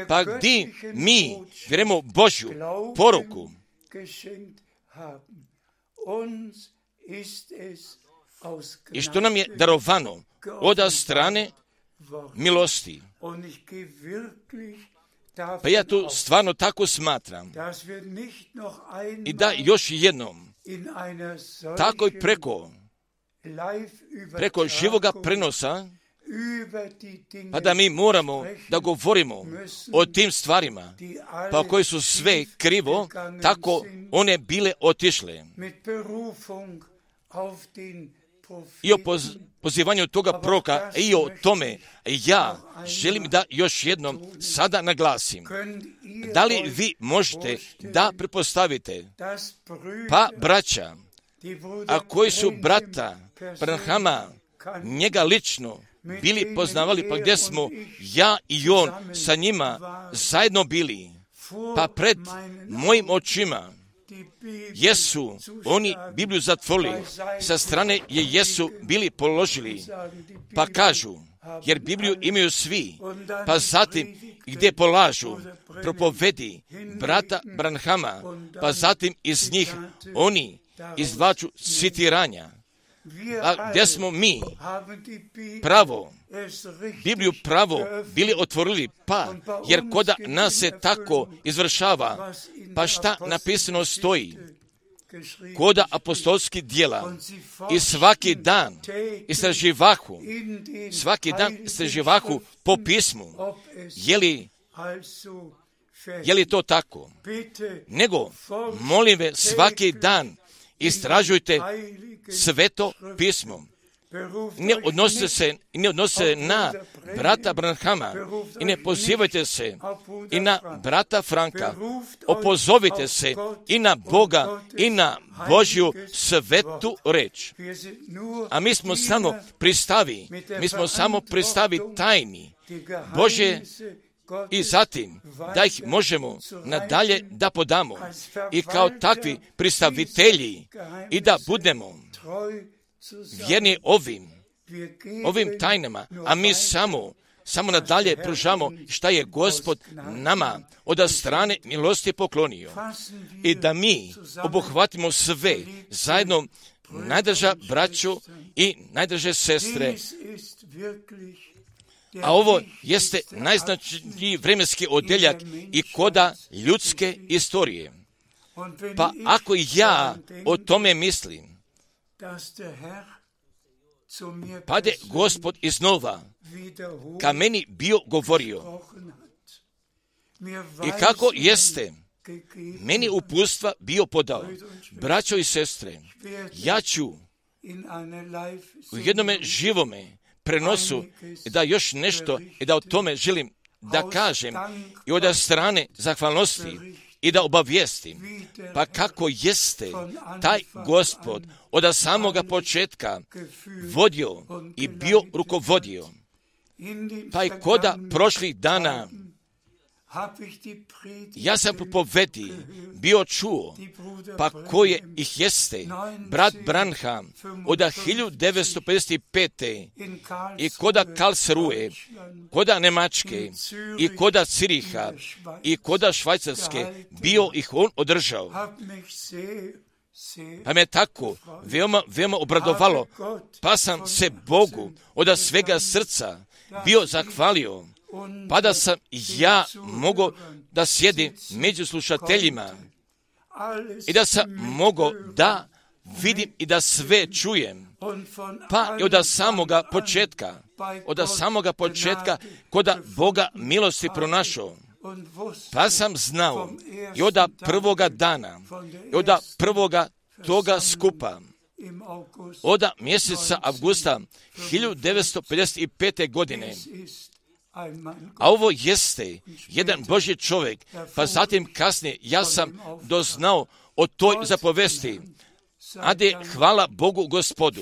Speaker 2: pa gdje mi vjerujemo Božju poruku, i što nam je darovano od strane milosti. Pa ja to stvarno tako smatram. I da još jednom, tako i preko živoga prenosa, pa da mi moramo da govorimo o tim stvarima, pa koji su sve krivo, tako one bile otišle. I o pozivanju toga proroka i o tome ja želim da još jednom sada naglasim. Da li vi možete da pretpostavite, pa braća, a koji su brata Branhama njega lično bili poznavali, pa gdje smo ja i on sa njima zajedno bili, pa pred mojim očima jesu oni Bibliju zatvorili, sa strane je jesu bili položili, pa kažu, jer Bibliju imaju svi, pa zatim gdje polažu propovedi brata Branhama, pa zatim iz njih oni izvlaču citiranja. A gdje smo mi Bibliju pravo bili otvorili, pa jer koda nas se tako izvršava, pa šta napisano stoji koda apostolskih djela, i svaki dan istraživahu po pismu, je li to tako? Nego, molim ve, svaki dan istražujte sveto pismo. Ne odnose se na brata Branhama i ne pozivajte se i na brata Franka. Opozovite se i na Boga i na Božju svetu reč. A mi smo samo pristavi tajni Božje, i zatim da ih možemo nadalje da podamo i kao takvi pristavitelji i da budemo vjerni ovim tajnama, a mi samo nadalje pružamo šta je Gospod nama od strane milosti poklonio, i da mi obuhvatimo sve zajedno najdraža braću i najdraže sestre, a ovo jeste najznačajniji vremenski odeljak i koda ljudske istorije. Pa ako ja o tome mislim, pa je Gospod iznova ka meni bio govorio i kako jeste meni uputstva bio podao. Braćo i sestre, ja ću u jednome živome prenosu da još nešto i da o tome želim da kažem i od strane zahvalnosti i da obavijestim. Pa kako jeste taj Gospod od samoga početka vodio i bio rukovodio. Pa i koda prošlih dana ja sam propovedi bio čuo, pa koje ih jeste brat Branham od 1955. i koda Karlsruhe, koda Nemačke i koda Ciriha i koda Švajcarske bio ih on održao. Pa me tako veoma obradovalo, pa sam se Bogu od svega srca bio zahvalio, pa da sam ja mogao da sjedim među slušateljima i da sam mogao da vidim i da sve čujem. Pa i od samoga početka koda Boga milosti pronašao. Pa sam znao i od prvoga dana, i od prvoga toga skupa, od mjeseca avgusta 1955. godine, a ovo jeste jedan Božji čovjek, pa zatim kasnije ja sam doznao o toj zapovesti. Ade, hvala Bogu Gospodu.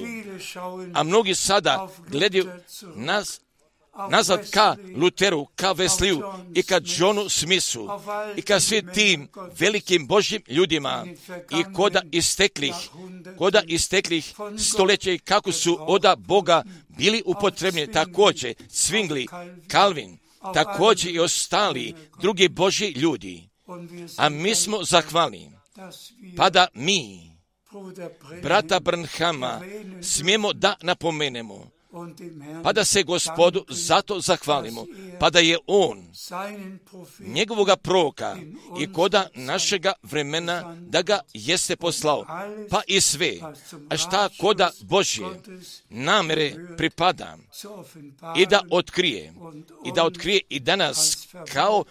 Speaker 2: A mnogi sada gledaju nazad ka Luteru, ka Wesliju i ka Johnu Smithu i ka svim tim velikim Božjim ljudima i koda isteklih stoljeća i kako su od Boga bili upotrebni, također Zwingli, Calvin, također i ostali drugi Božji ljudi. A mi smo zahvalni, pa da mi brata Branhama smijemo da napomenemo, pa da se Gospodu zato zahvalimo, pa da je on njegovoga proroka i koda našega vremena da ga jeste poslao, pa i sve, a šta koda Božje namere pripada i da otkrije i danas kao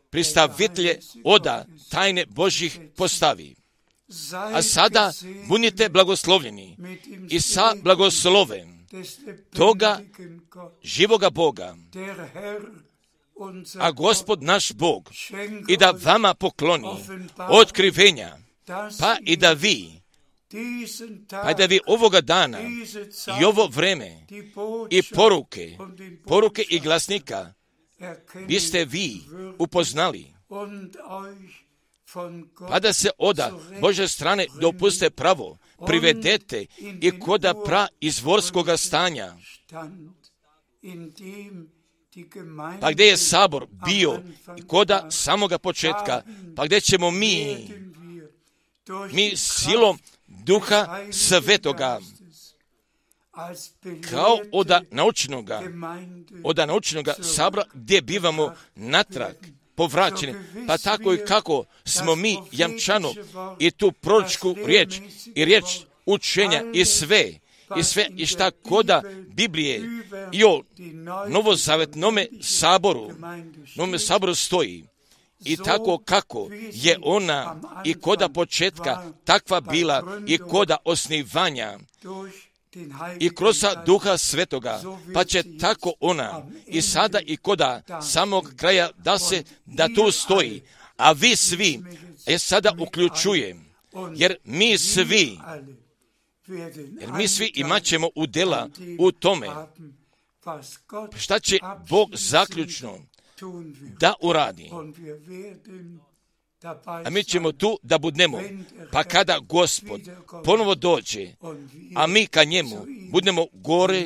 Speaker 2: predstavitelje oda tajne Božjih postavi. A sada budite blagoslovljeni i sa blagoslovem toga živoga Boga, a Gospod naš Bog i da vama pokloni otkrivenja, pa i da vi ovoga dana i ovo vreme i poruke i glasnika biste vi upoznali, pa da se oda Božje strane dopuste pravo privedete i koda izvorskoga stanja, pa gdje je sabor bio i koda samoga početka, pa gdje ćemo mi silom Duha Svetoga kao od naučnoga sabora gdje bivamo natrag povraćeni, pa tako i kako smo mi jamčano i tu proročku riječ i riječ učenja i sve i šta koda Biblije i o novozavetnome saboru stoji. I tako kako je ona i koda početka takva bila i koda osnivanja i kroz Duha Svetoga, pa će tako ona i sada i koda samog kraja da tu stoji. A vi svi, sada uključujem, jer mi svi imat ćemo udjela u tome. Šta će Bog zaključno da uradi? A mi ćemo tu da budemo, pa kada Gospod ponovo dođe, a mi ka njemu budemo gore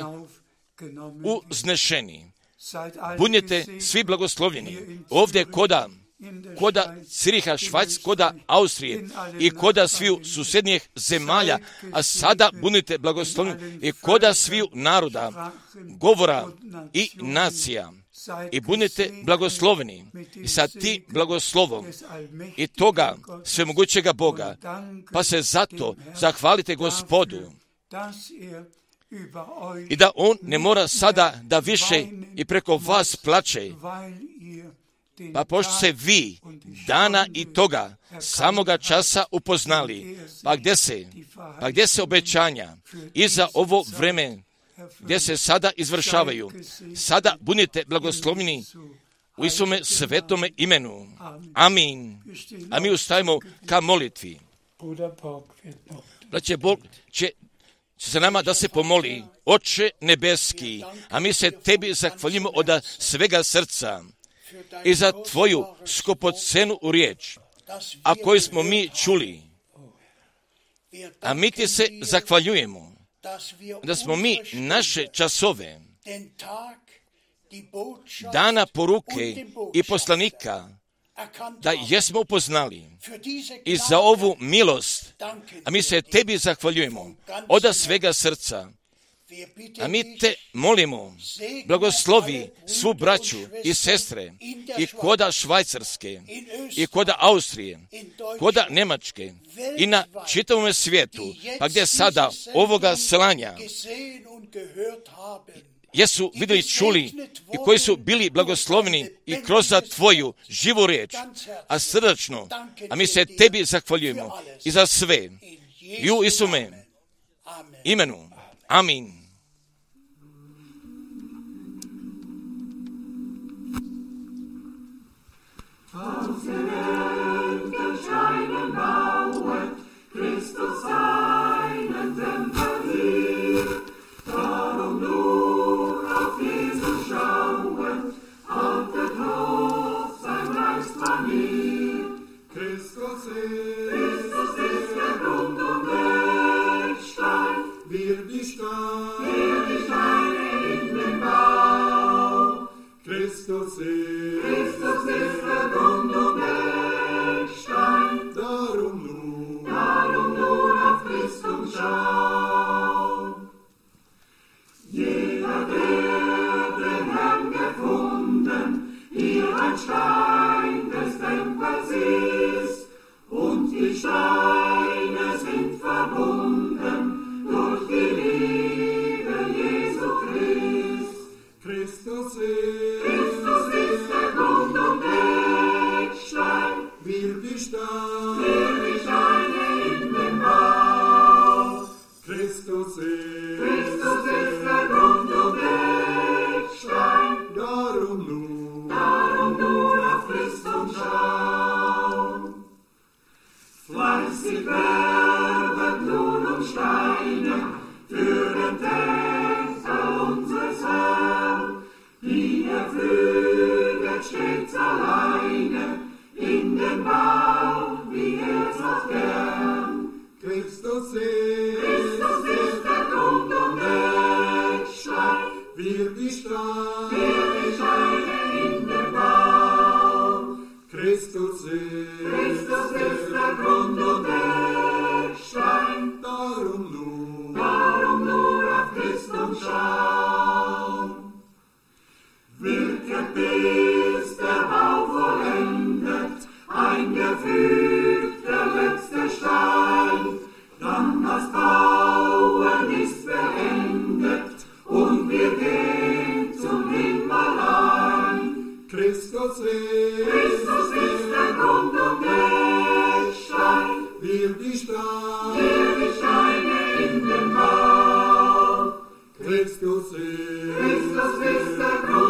Speaker 2: uznešeni. Budite svi blagoslovljeni. Ovdje koda koda Ciriha, Švajc, koda Austrije i koda sviju susjednjih zemalja, a sada budite blagosloveni i koda sviju naroda, govora i nacija. I budite blagosloveni i sa ti blagoslovom i toga svemogućega Boga, pa se zato zahvalite Gospodu i da On ne mora sada da više i preko vas plače, pa pošto se vi dana i toga samoga časa upoznali, pa gdje se obećanja i za ovo vreme gdje se sada izvršavaju, sada budite blagoslovljeni u Isome svetome imenu. Amin. A mi ustajemo ka molitvi. Braće, Bog će za nama da se pomoli. Oče nebeski, a mi se tebi zahvaljujemo od svega srca i za tvoju skupocenu riječ, a koju smo mi čuli. A mi ti se zahvaljujemo da smo mi naše časove, dana poruke i poslanika, da jesmo upoznali i za ovu milost, a mi se tebi zahvaljujemo od svega srca. A mi te molimo, blagoslovi svu braću i sestre i koda Švajcarske i koda Austrije, koda Njemačke i na čitavom svijetu, pa gdje sada ovoga slanja jesu vidjeli, čuli i koji su bili blagosloveni i kroz tvoju živu riječ, a srdačno, a mi se tebi zahvaljujemo i za sve i u Isume imenu. Amin.
Speaker 1: Aus der Welt scheinen bauet, Christus seinen Tempel hier. Darum nur auf Jesus schauet, haltet hoch sein Geist manier. Christus ist der Grund und Eckstein, wir die Steine in den Bau. Christus ist der Grund und Eckstein, darum nur auf Christus schauen. Jeder, der den Herrn gefunden, hier ein Stein des Tempels ist, und die Steine sind verbunden durch die Liebe Jesu Christ. Christus ist der Grund und Eckstein, wir die Steine in den Bau. Christus ist der Grund und Eckstein, darum nur auf Christus schauen. Fleißig werdet nun um Steine für den Tempel unseres Herrn, die füget stets alleine in den Bau, wie so gern. Christus ist der Grund und Eckstein, wir die Steine in den Bau. Christus ist der Grund und Eckstein, darum nur auf Christus schauen. Wirket bis der Bau vollendet, eingefügt der letzte Stein, dann das Bauen ist beendet und wir gehen zum Himmel ein. Christus ist der Grund und Eckstein, wir die Steine in den Bau. Christus ist der Grund